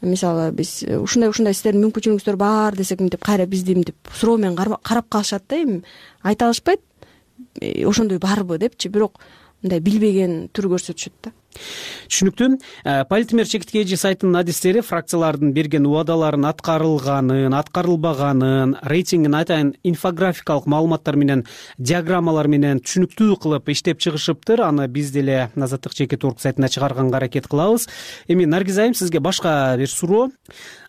Мисалы биз ушундай сиздердин мүмкүнчүлүгүңүздөр бар десек мынтип кайра бизди мынтип суроо менен карап калышат да. Эми айта алышпайт ошондой барбы депчи, бирок мындай билбеген түр көрсөтүшөт да. Түшүнүктүү. Политмер чекитке эже сайтынын адистери фракциялардын берген убадаларын аткарылганын, аткарылбаганын, рейтингин атайын инфографикалык маалыматтар менен, диаграммалар менен түшүнүктүү кылып иштеп чыгышыптыр. Аны биз деле Азаттык чекит орг сайтына чыгарганга аракет кылабыз. Эми Наргиз айым, сизге башка бир суроо.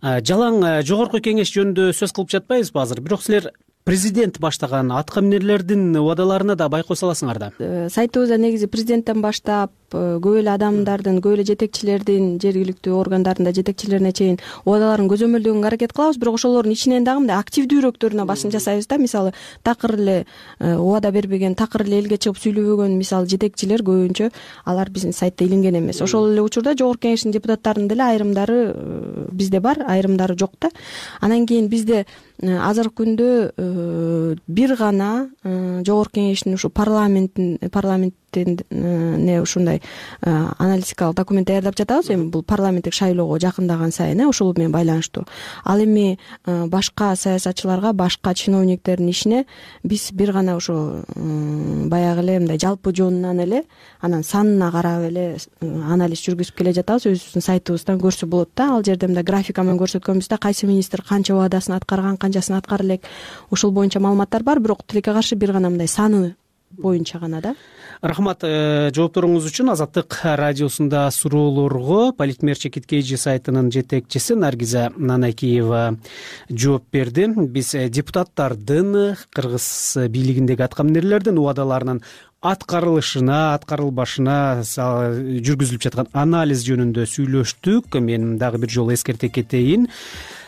Жалаң жогорку кеңеш жөнүндө сөз кылып жатпайбызбы азыр? Бирок силер президент баштаган атка минерлердин убадаларына да байкоо саласыңар да. Сайтыбызда негизи президенттен баштап көп эле адамдардын, көп эле жетекчилердин, жергиликтүү органдардын жетекчилерине чейин убадаларын көзөмөлдөгөнгө аракет кылабыз. Бирок ошолордун ичинен дагы мындай активдүүрөөктөрүнө басым жасайбыз да. Мисалы, такыр эле убада бербеген, такыр эле элге чыгып сүйлөбөгөн мисалы жетекчилер көбүнчө алар биздин сайтта илинген эмес. Ошол эле учурда жогорку кеңештин депутаттарынын деле айрымдары бизде бар, айрымдары жок да. Анан кийин бизде азыркы күндө бир гана жогорку кеңештин ушу парламенттин ушундай аналитикалык документ даярдап жатабыз. Эми бул парламенттик шайлоого жакындаган сайын ошол менен байланыштуу. Ал эми башка саясатчыларга, башка чиновниктердин ишине биз бир гана ошо баягы эле мындай жалпы жонунан эле анан санына карап эле анализ жүргүзүп келе жатабыз. Өзүбүздүн сайтыбыздан көрсө болот да. Ал жерде мындай графика менен көрсөткөнбүз да, кайсы министр канча убадасын аткарган, канчасын аткара элек. Ошол боюнча маалыматтар бар, бирок тилекке каршы бир гана мындай саны боюнча гана да. Рахмат жоопторуңуз үчүн. Азаттык радиосунда суроолорго Политмер чекитке эже сайтынын жетекчиси Наргиза Нанакиева жооп берди. Биз депутаттардын кыргыз бийлигиндеги атка минерлердин убадаларынын аткарылышына, аткарылбашына жүргүзүлүп жаткан анализ жөнүндө сүйлөштүк. Мен дагы бир жолу эскерте кетейин.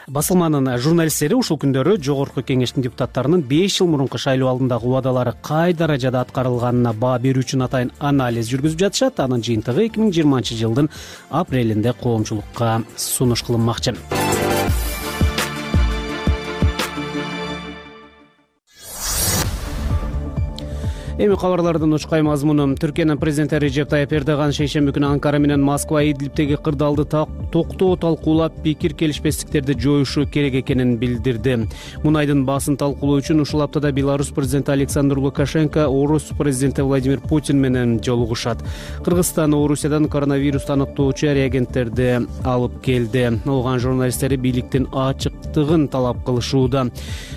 Басылманын журналисттери ушул күндөрү жогорку кеңештин депутаттарынын 5 жыл мурунку шайлоо алдындагы убадалары кай даражада аткарылганына баа берүү үчүн атайын анализ жүргүзүп жатышат. Анын жыйынтыгы 2020-жылдын апрелинде коомчулукка сунуш кылынмакчы. Эми кабарлардын учкай мазмуну. Түркиянын президенти Режеп Тайып Эрдоган шейшемби күнү Анкара менен Москва Идлибтеги кырдаалды токтоо талкуулап, пикир келишпестиктерди жоюшу керек экенин билдирди. Мунайдын баасын талкуулоо үчүн ушул аптада Беларусь президенти Александр Лукашенко Орус президенти Владимир Путин менен жолугушат. Кыргызстан Орусиядан коронавирус аныктоочу реагенттерди алып келди. Алган журналисттери бийликтин ачыктыгын талап кылышууда.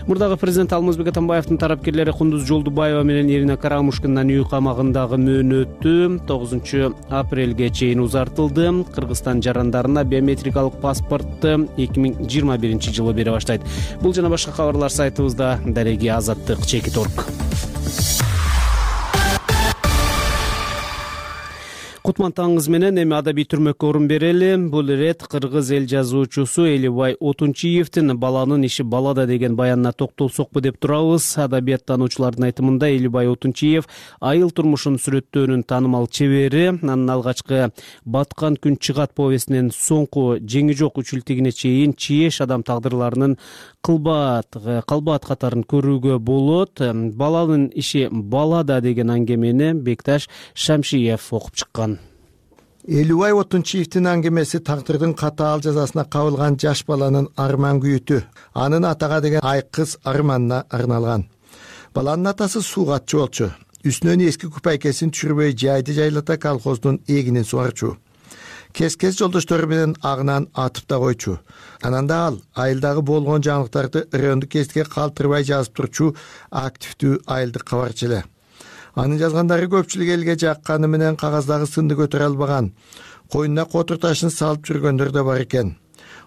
Мурдагы президент Алмазбек Атамбаевдин тарапкерлери Кундуз Жолдубаева менен Ирина Карамушкиндин үй камагындагы мөөнөтү 9 апрелге чейин узартылды. Кыргызстан жарандарына биометрикалык паспортту 2021-жылы бере баштайт. Бул жана башка кабарлар сайтыбызда. Дареги Азаттык чекит орг. Кутман таңыңыз менен эми адабий түрмөккө орун берели. Бул ирет кыргыз эл жазуучусу Элибай Отунчиевдин баланын иши балада деген баянына токтолсокпу деп турабыз. Адабияттануучулардын айтымында Элибай Отунчиев айыл турмушун сүрөттөөнүн таанымал чебери. Анын алгачкы Баткан күн чыгат повестинен соңку жеңи жок үчүлтигине чейин чиеш адам тагдырларынын калбаат катарын көрүүгө болот. Баланын иши балада деген аңгемени Бекташ Шамшиев окуп чыккан. Элибай Отунчиевдин аңгемеси тагдырдын катаал жазасына кабылган жаш баланын арман күйүтү, анын атага деген айкыз арманына арналган. Баланын атасы суугатчы болчу. Үстүнөн эски купайкесин түшүрбөй жайды жайлата колхоздун эгинин сугарчу. Кез-кез жолдоштору менен агынан атып да койчу. Ананда ал айылдагы болгон жаңылыктарды райондук гезитке калтырбай жазып турчу активдүү айылдык кабарчы эле. Анын жазгандары көпчүлүк элге жакканы менен кагаздагы сынды көтөрө албаган, койнуна котур ташын салып жүргөндөр да бар экен.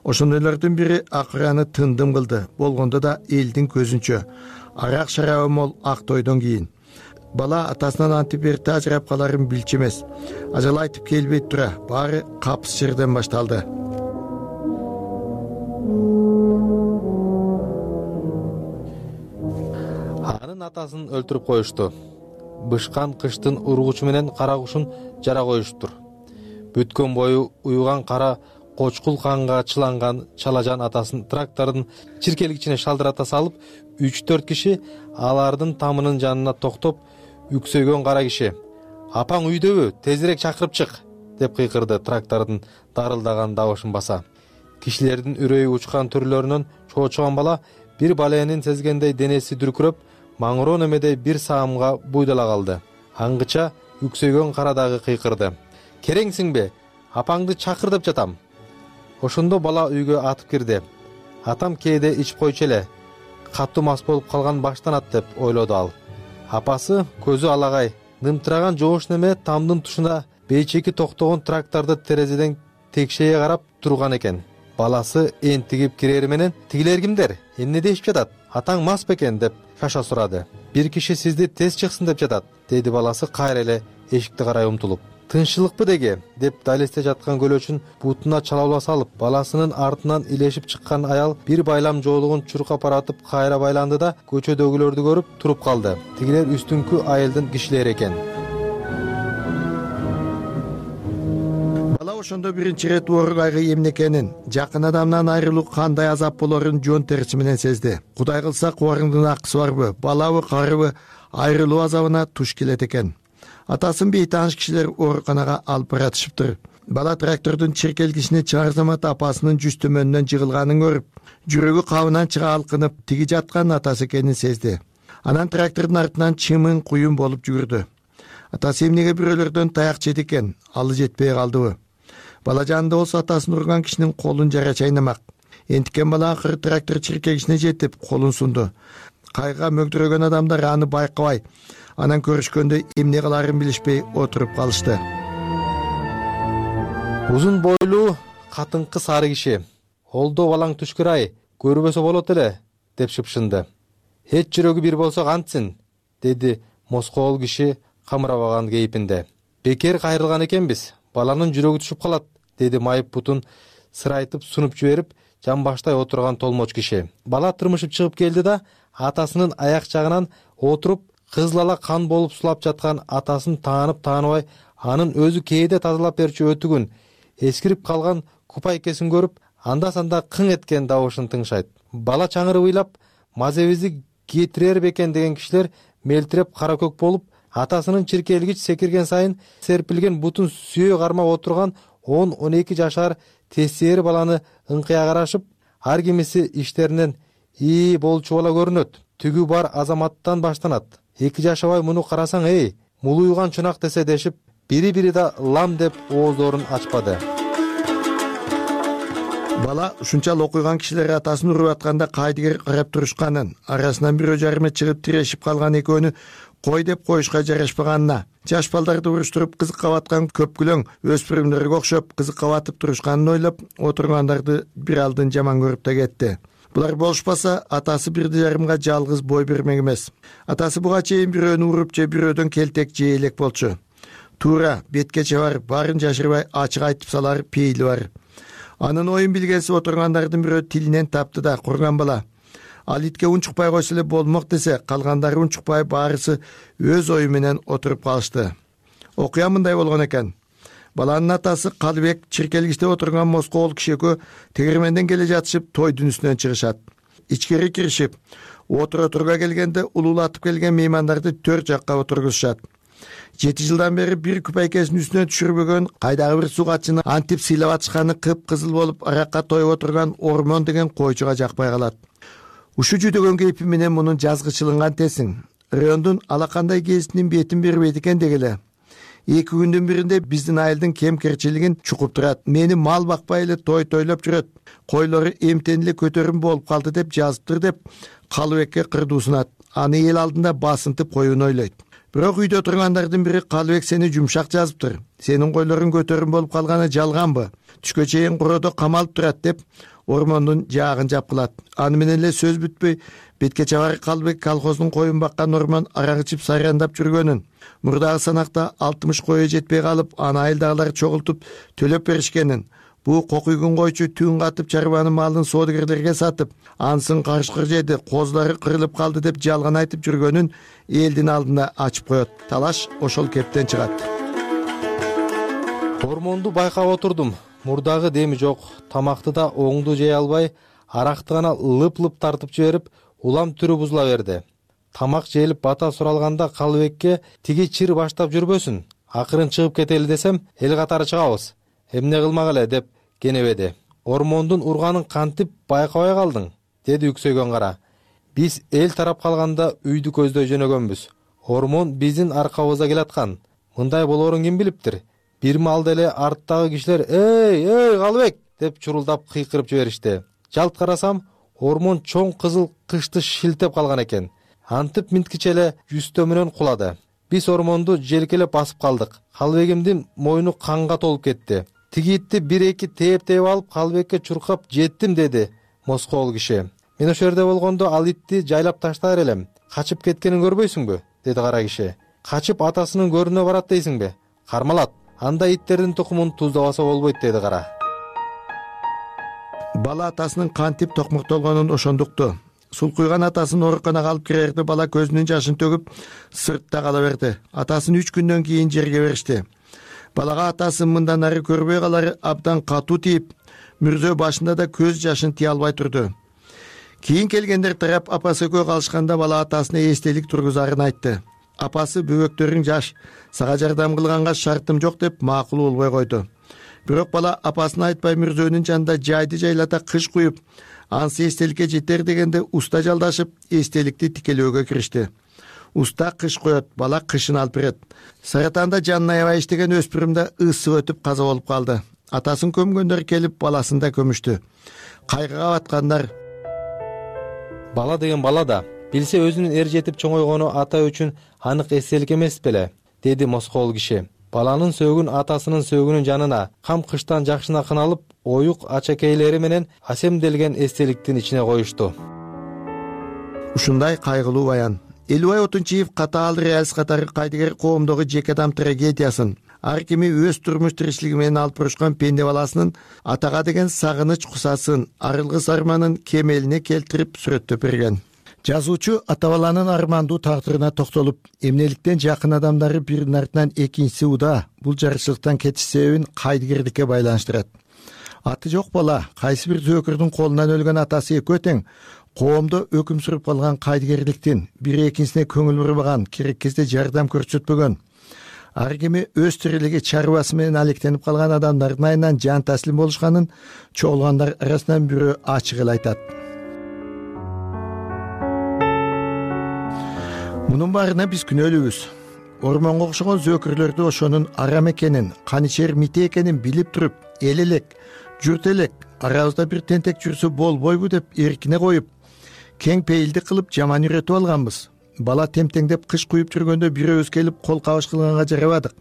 Ошондойлордун бири акыраны тындым кылды, болгондо да элдин көзүнчө. Арак шарабы мол ак тойдон кийин. Бала атасынан антип эрте ажырап каларын билчү эмес. Ажал айтып келбей тура, баары капыс жерден башталды. Анын атасын өлтүрүп коюшту. Бышкан кыштын ургучу менен кара кушун жара коюштур. Бүткөн бою уюган кара кочкул канга чыланган чалажан атасын трактордун чиркелгичине шалдырата салып, 3-4 киши алардын тамынын жанына токтоп, үксөйгөн кара киши: "Апаң үйдөбү? Тезирээк чакырып чык!" деп кыйкырды трактордун дарылдаган дабышын баса. Кишилердин үрөйү учкан түрлөрүнөн чоочуган бала бир баленин сезгендей денеси дүркүрөп, маңыроо немеде бир саамга буйдала калды. Аңгыча үксөйгөн кара дагы кыйкырды. Кереңсиңби? Апаңды чакыр деп жатам. Ошондо бала үйгө атып кирди. Атам кээде ичип койчу эле. Катуу мас болуп калган баштанат деп ойлоду ал. Апасы көзү алагай, нымтыраган жоош неме тамдын тушуна бейчеки токтогон тракторду терезеден текшее карап турган экен. Баласы энтигип кирери менен тигилер кимдер? Эмне дешип жатат? Атаң мас бекен деп шаша сурады. Бир киши сизди тез чыксын деп жатат, деди баласы кайра эле эшикти карай умтулуп. Тынччылыкпы деге деп далесте жаткан көлөчүн бутуна чалаула салып, баласынын артынан илешип чыккан аял бир байлам жоолугун чуркап баратып кайра байланды да көчөдөгүлөрдү көрүп туруп калды. Тигилер үстүңкү айылдын кишилери экен. Бала ошондо биринчи ирет оор кайгы эмне экенин, жакын адамдан айрылуу кандай азап болорун жон терisi менен сезди. Кудай кылса кубарыңдын акысы барбы, балабы, карыбы айрылуу азабына туш келет экен. Атасын бейтааныш кишилер ооруканага алып баратышыптыр. Бала трактордун чиркелгичине чыгар замат апасынын жүз төмөнүнөн жыгылганын көрүп, жүрөгү кабынан чыга алкынып, тиги жаткан атасы экенин сезди. Анан трактордун артынан чымын куюн болуп жүгүрдү. Атасы эмнеге бирөөлөрдөн таяк жеди экен, алы жетпей калдыбы? Бала жанында болсо атасын урган кишинин колун жара чайнамак. Энтикен бала акыры трактор чиркегичине жетип, колун сунду. Кайга мөгдүрөгөн адамдар аны байкабай, анан көрүшкөндө эмне кыларын билишпей отуруп калышты. Узун бойлуу катыңкы сары киши: "Олдо балаң түшкүр-ай, көрбөсө болот эле" деп шыпшынды. "Эч жүрөгү бир болсо кантсин?" деди москоол киши камырабаган кейпинде. "Бекер кайрылган экенбиз, баланын жүрөгү түшүп калат", деди майып бутун сырайтып сунуп жиберип жамбаштай отурган толмоч киши. Бала тырмышып чыгып келди да атасынын аяк жагынан отуруп, кызыл кан болуп сулап жаткан атасын таанып-тааныбай, анын өзү кээде тазалап берчү өтүгүн, эскирип калган купайкесин көрүп, анда-санда кың эткен добушун тыңшайт. Бала чаңырып ыйлап, мазебизди кетирер бекен деген кишилер мелтиреп кара көк болуп, атасынын чиркелгич секирген сайын серпилген бутун сүйө кармап отурган 10-12 жашар тестери баланы ыңкыя карашып, ар кимиси иштеринен "И болчу бала көрүнөт, түгү бар азаматтан баштанат. 2 жашабай муну карасаң, эй, мулуйган чунак" десе дешип, бири-бири да лам деп ооздорун ачпады. Бала ушунчалык окуйган кишилер атасын уруп атканда кайдыгер карап турушканын, арасынан бирөө жарыма чыгып тирешип калган экөөнү кой деп коюшка жарашпаганына, жаш балдарды уруштуруп кызыкка баткан көпкүлөң өспүрүмдөргө окшоп кызыкка батып турушканын ойлоп отургандарды бир алдын жаман көрүп да кетти. Булар болушпаса, атасы бирди жарымга жалгыз бой бермек эмес. Атасы буга чейин бирөөнү уруп же бирөөдөн келтек жей элек болчу. Туура, беткече бар, баарын жашырбай ачык айтып салар пейили бар. Анын оюн билгенсип отургандардын бирөө тилинен тапты да курган бала. Ал итке унчукпай койсо эле болмок десе, калгандары унчукпай баарысы өз ою менен отуруп калышты. Окуя мындай болгон экен. Баланын атасы Калыбек чиркелгичте отурган москоол киши экөө тегерменден келе жатышып тойдун үстүнөн чыгышат. Ичкери киришип, отура келгенде улуулатып келген меймандарды 4 жакка отургузушат. 7 жылдан бери бир күпайкесин үстүнө түшүрбөгөн, кайдагы бир сугатчыны антип сыйлап атышканы кып-кызыл болуп аракка тоюп отурган Ормон деген койчуга жакпай калат. Ушу жүдөгөн кейпи менен мунун жазгычылынган тесиң. Райондун алакандай кесинин бетин бербейт экен дегеле. 2 күндүн биринде биздин айылдын кем-керчилигин чукуп турат. Мени мал бакпай эле той тойлоп жүрөт. Койлору эмтен эле көтөрүм болуп калды деп жазыптыр деп Калыбекке кырдуусунат. Аны эл алдында басынтып коюуну ойлойт. Бирок үйдө тургандардын бири Калыбек сени жумшак жазыптыр. Сенин койлорун көтөрүм болуп калганы жалганбы? Түшкө чейин куроодо камалып турат деп Ормондун жаагын жапкылат. Аны менен эле сөз бүтпөй, беткече бар Калыбек колхоздун коюн баккан Ормон арак ичип сайрандап жүргөнүн, мурдагы санакта 60 кою жетпей калып, аны айылдагылар чогултуп төлөп беришкенин, бу кокуйгун койчу түн катып чарбанын малын соодагерлерге сатып, ансын карышкыр жеди, козулары кырылып калды деп жалган айтып жүргөнүн элдин алдына ачып коет. Талаш ошол кептен чыгат. Ормонду байкап отурдум. Мурдагы деми жок, тамакты да оңду жей албай, аракты гана лып-лып тартып жиберип, улам түрү бузула берди. Тамак жээлип бата суралганда Калыбекке тиги чир баштап жүрбөсүн, акырын чыгып кетели десем, эл катары чыгабыз. Эмне кылмак эле деп кенебеди. Ормондун урганын кантип байкабай калдың, деди үксөйгөн кара. Биз эл тарап калганда үйдү көздөй жөнөгөнбүз. Ормон биздин аркабызда келаткан. Мындай болоорун ким билиптир? Бир маалда эле арттагы кишилер эй Калыбек деп чурулдап кыйкырып жиберишти. Жалт карасам, ормон чоң кызыл кышты шилтеп калган экен. Антип минткиче эле жүстө менен кулады. Биз ормонду желкелеп басып калдык. Калыбегимдин мойну канга толуп кетти. Тиги итти 1-2 тээп алып Калыбекке чуркап жеттим деди москол киши. Мен ошол жерде болгондо ал итти жайлап таштаар элем. Качып кеткенин көрбөйсүңбү? Деди кара киши. Качып атасынын көрүнө барат дейсиңби? Кармалат. Анда иттердин тукумун туздабаса болбойт, деди кара. Бала атасынын кантип токмуктолгонун ошондукту. Сулкуйган атасын ооруканага алып кирерди. Бала көзүнүн жашын төгүп сыртта кала берди. Атасын 3 күндөн кийин жерге беришти. Балага атасын мындан ары көрбөй калары абдан катуу тийип, мүрзө башында да көз жашын тие албай турду. Кийин келгендер тарап апасы экөө калышканда бала атасына эстелик тургузарын айтты. Апасы бөбөктөрүң жаш, сага жардам кылганга шартым жок деп макул болбой койду. Бирок бала апасына айтпай мүрзөнүн жанында жайды жайлата кыш куюп, ансы эстеликке жетер дегенде уста жалдашып эстеликти тикелөөгө киришти. Уста кыш коет, бала кышын алып берет. Саратанда жанына аябай иштеген өспүрүм да ысып өтүп каза болуп калды. Атасын көмгөндөр келип баласын да көмүштү. Кайгыга баткандар. Бала деген бала да, билсе өзүнүн эр жетип чоңойгону ата үчүн анык эстелик эмес беле, деди москол киши. Баланын сөөгүн атасынын сөөгүнүн жанына, кам кыштан жакшына кыналып, оюк ачакейлери менен асемделген эстеликтин ичине коюшту. Ушундай кайгылуу баян. Элубай Отунчиев катаал реалист катары кайдыгер коомдогу жеке адам трагедиясын, ар кими өз турмуш тиричилиги менен алып бурушкан пенде баласынын атага деген сагыныч кусасын, арылгыс арманын кемелине келтирип сүрөттөп берген. Жазуучу ата баланын армандуу тагдырына токтолуп, эмнеликтен жакын адамдары биринин артынан экинчиси уда бул жарычылыктан кетиш себебин кайдыгердикке байланыштырат. Аты жок бала, кайсы бир зөөкүрдүн колунан өлгөн атасы экөө тең, коомдо өкүм сүрүп калган кайдыгерликтин, бири экинчисине көңүл бурбаган, керек кезде жардам көрсөтпөгөн, ар кими өз тирилиги чарбасы менен алектенип калган адамдардын айынан жан таслим болушканын чогулгандар арасынан бирөө ачык эле айтат. Мунун баарына биз күнөөлүүбүз. Ормонго окшогон зөөкүрлөрдү ошонун арам экенин, каничер мите экенин билип туруп, эл элек, журт элек, арабызда бир тентек жүрсө болбойбу деп эркине коюп, кең пейилдик кылып жаман үйрөтүп алганбыз. Бала темтеңдеп кыш куюп жүргөндө бирөөбүз келип кол кабыш кылганга жарабадык.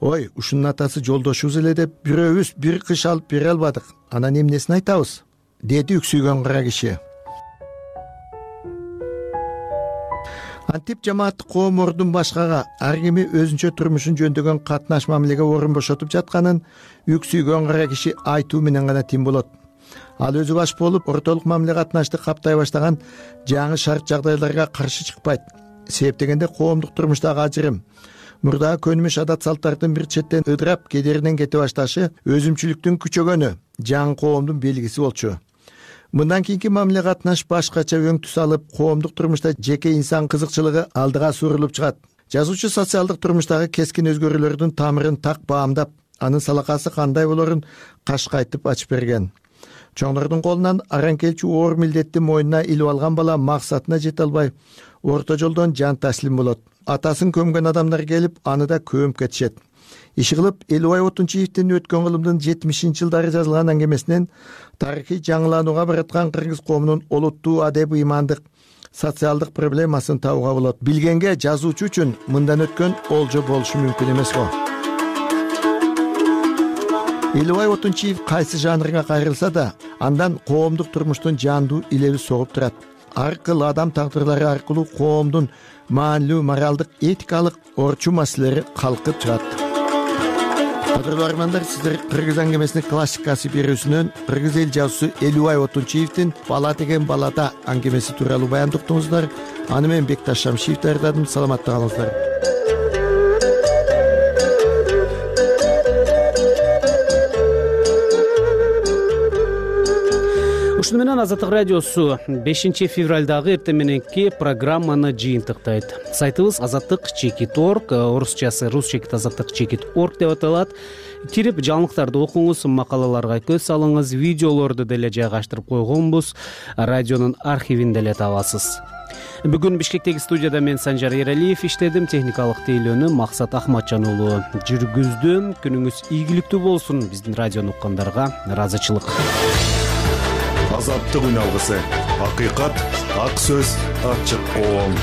Ой, ушунун атасы жолдошубуз эле деп бирөөбүз бир кыш алып бере албадык. Анан эмнесин айтабыз? Деди үксүйгөн кара киши. Антип жамааттык коом ордун башкага, ар кими өзүнчө турмушун жөндөгөн катнаш мамилеге орун бошотуп жатканын үксүйгөн кара киши айтуу менен гана тим болот. Ал өзү баш болуп, ортолук мамиле катнашты каптай баштаган жаңы шарт жагдайларга каршы чыкпайт. Себеп дегенде коомдук турмуштагы ажырым, мурдагы көнүмүш адат салттардын бир четтен ыдырап кедеринен кете башташы өзүмчүлүктүн күчөгөнү, жаңы коомдун белгиси болчу. Мындан кийинки мамиле катнаш башкача өң түс алып, коомдук турмушта жеке инсан кызыкчылыгы алдыга сурулуп чыгат. Жазуучу социалдык турмуштагы кескин өзгөрүүлөрдүн тамырын так баамдап, анын салакасы кандай болорун кашкайтып ачып берген. Чоңдордун колунан аран келчү оор милдетти мойнуна илип алган бала максатына жете албай, орто жолдон жан таслим болот. Атасын көмгөн адамдар келип, аны да көмүп кетишет. Иши кылып, Элубай Отунчиевдин өткөн кылымдын 70-жылдары жазылган аңгемесинен тарыхый жаңыланууга бараткан кыргыз коомунун олуттуу адеп ыймандык, социалдык проблемасын табууга болот. Билгенге жазуучу үчүн мындан өткөн олжо болушу мүмкүн эмес го. Элубай Отунчиев кайсы жанрга кайрылса да, андан коомдук турмуштун жандуу илеби согуп турат. Ар кыл адам тагдырлары аркылуу коомдун маанилүү моралдык, этикалык орчу маселелери калкып чыгат. Кадырлуу армандар, сиздер кыргыз аңгемесинин классикасы берүүсүнөн кыргыз эл жазуучусу Элубай Отунчиевдин «Бала деген балада» аңгемеси тууралуу баяндап уктуңуздар. Аны мен Бекташ Шамшиев даярдадым. Саламатта калыңыздар. Ушуну менен Азаттык радиосу 5-февралдагы эртең мененки программаны жыйынтыктайт. Сайтыбыз azatlyk.org, орусчасы rus.azatlyk.org деп аталат. Кирип жаңылыктарды окуңуз, макалаларга көз салыңыз, видеолорду деле жайгаштырып койгонбуз. Радионун архивин деле табасыз. Бүгүн Бишкектеги студияда мен Санжар Эралиев иштедим. Техникалык тейлөөнү Максат Ахматжан уулу жүргүздү. Күнүңүз ийгиликтүү болсун. Биздин радиону уккандарга ыраазычылык. Азаттык үн алгысы. Акыйкат, ак сөз, ачык коом.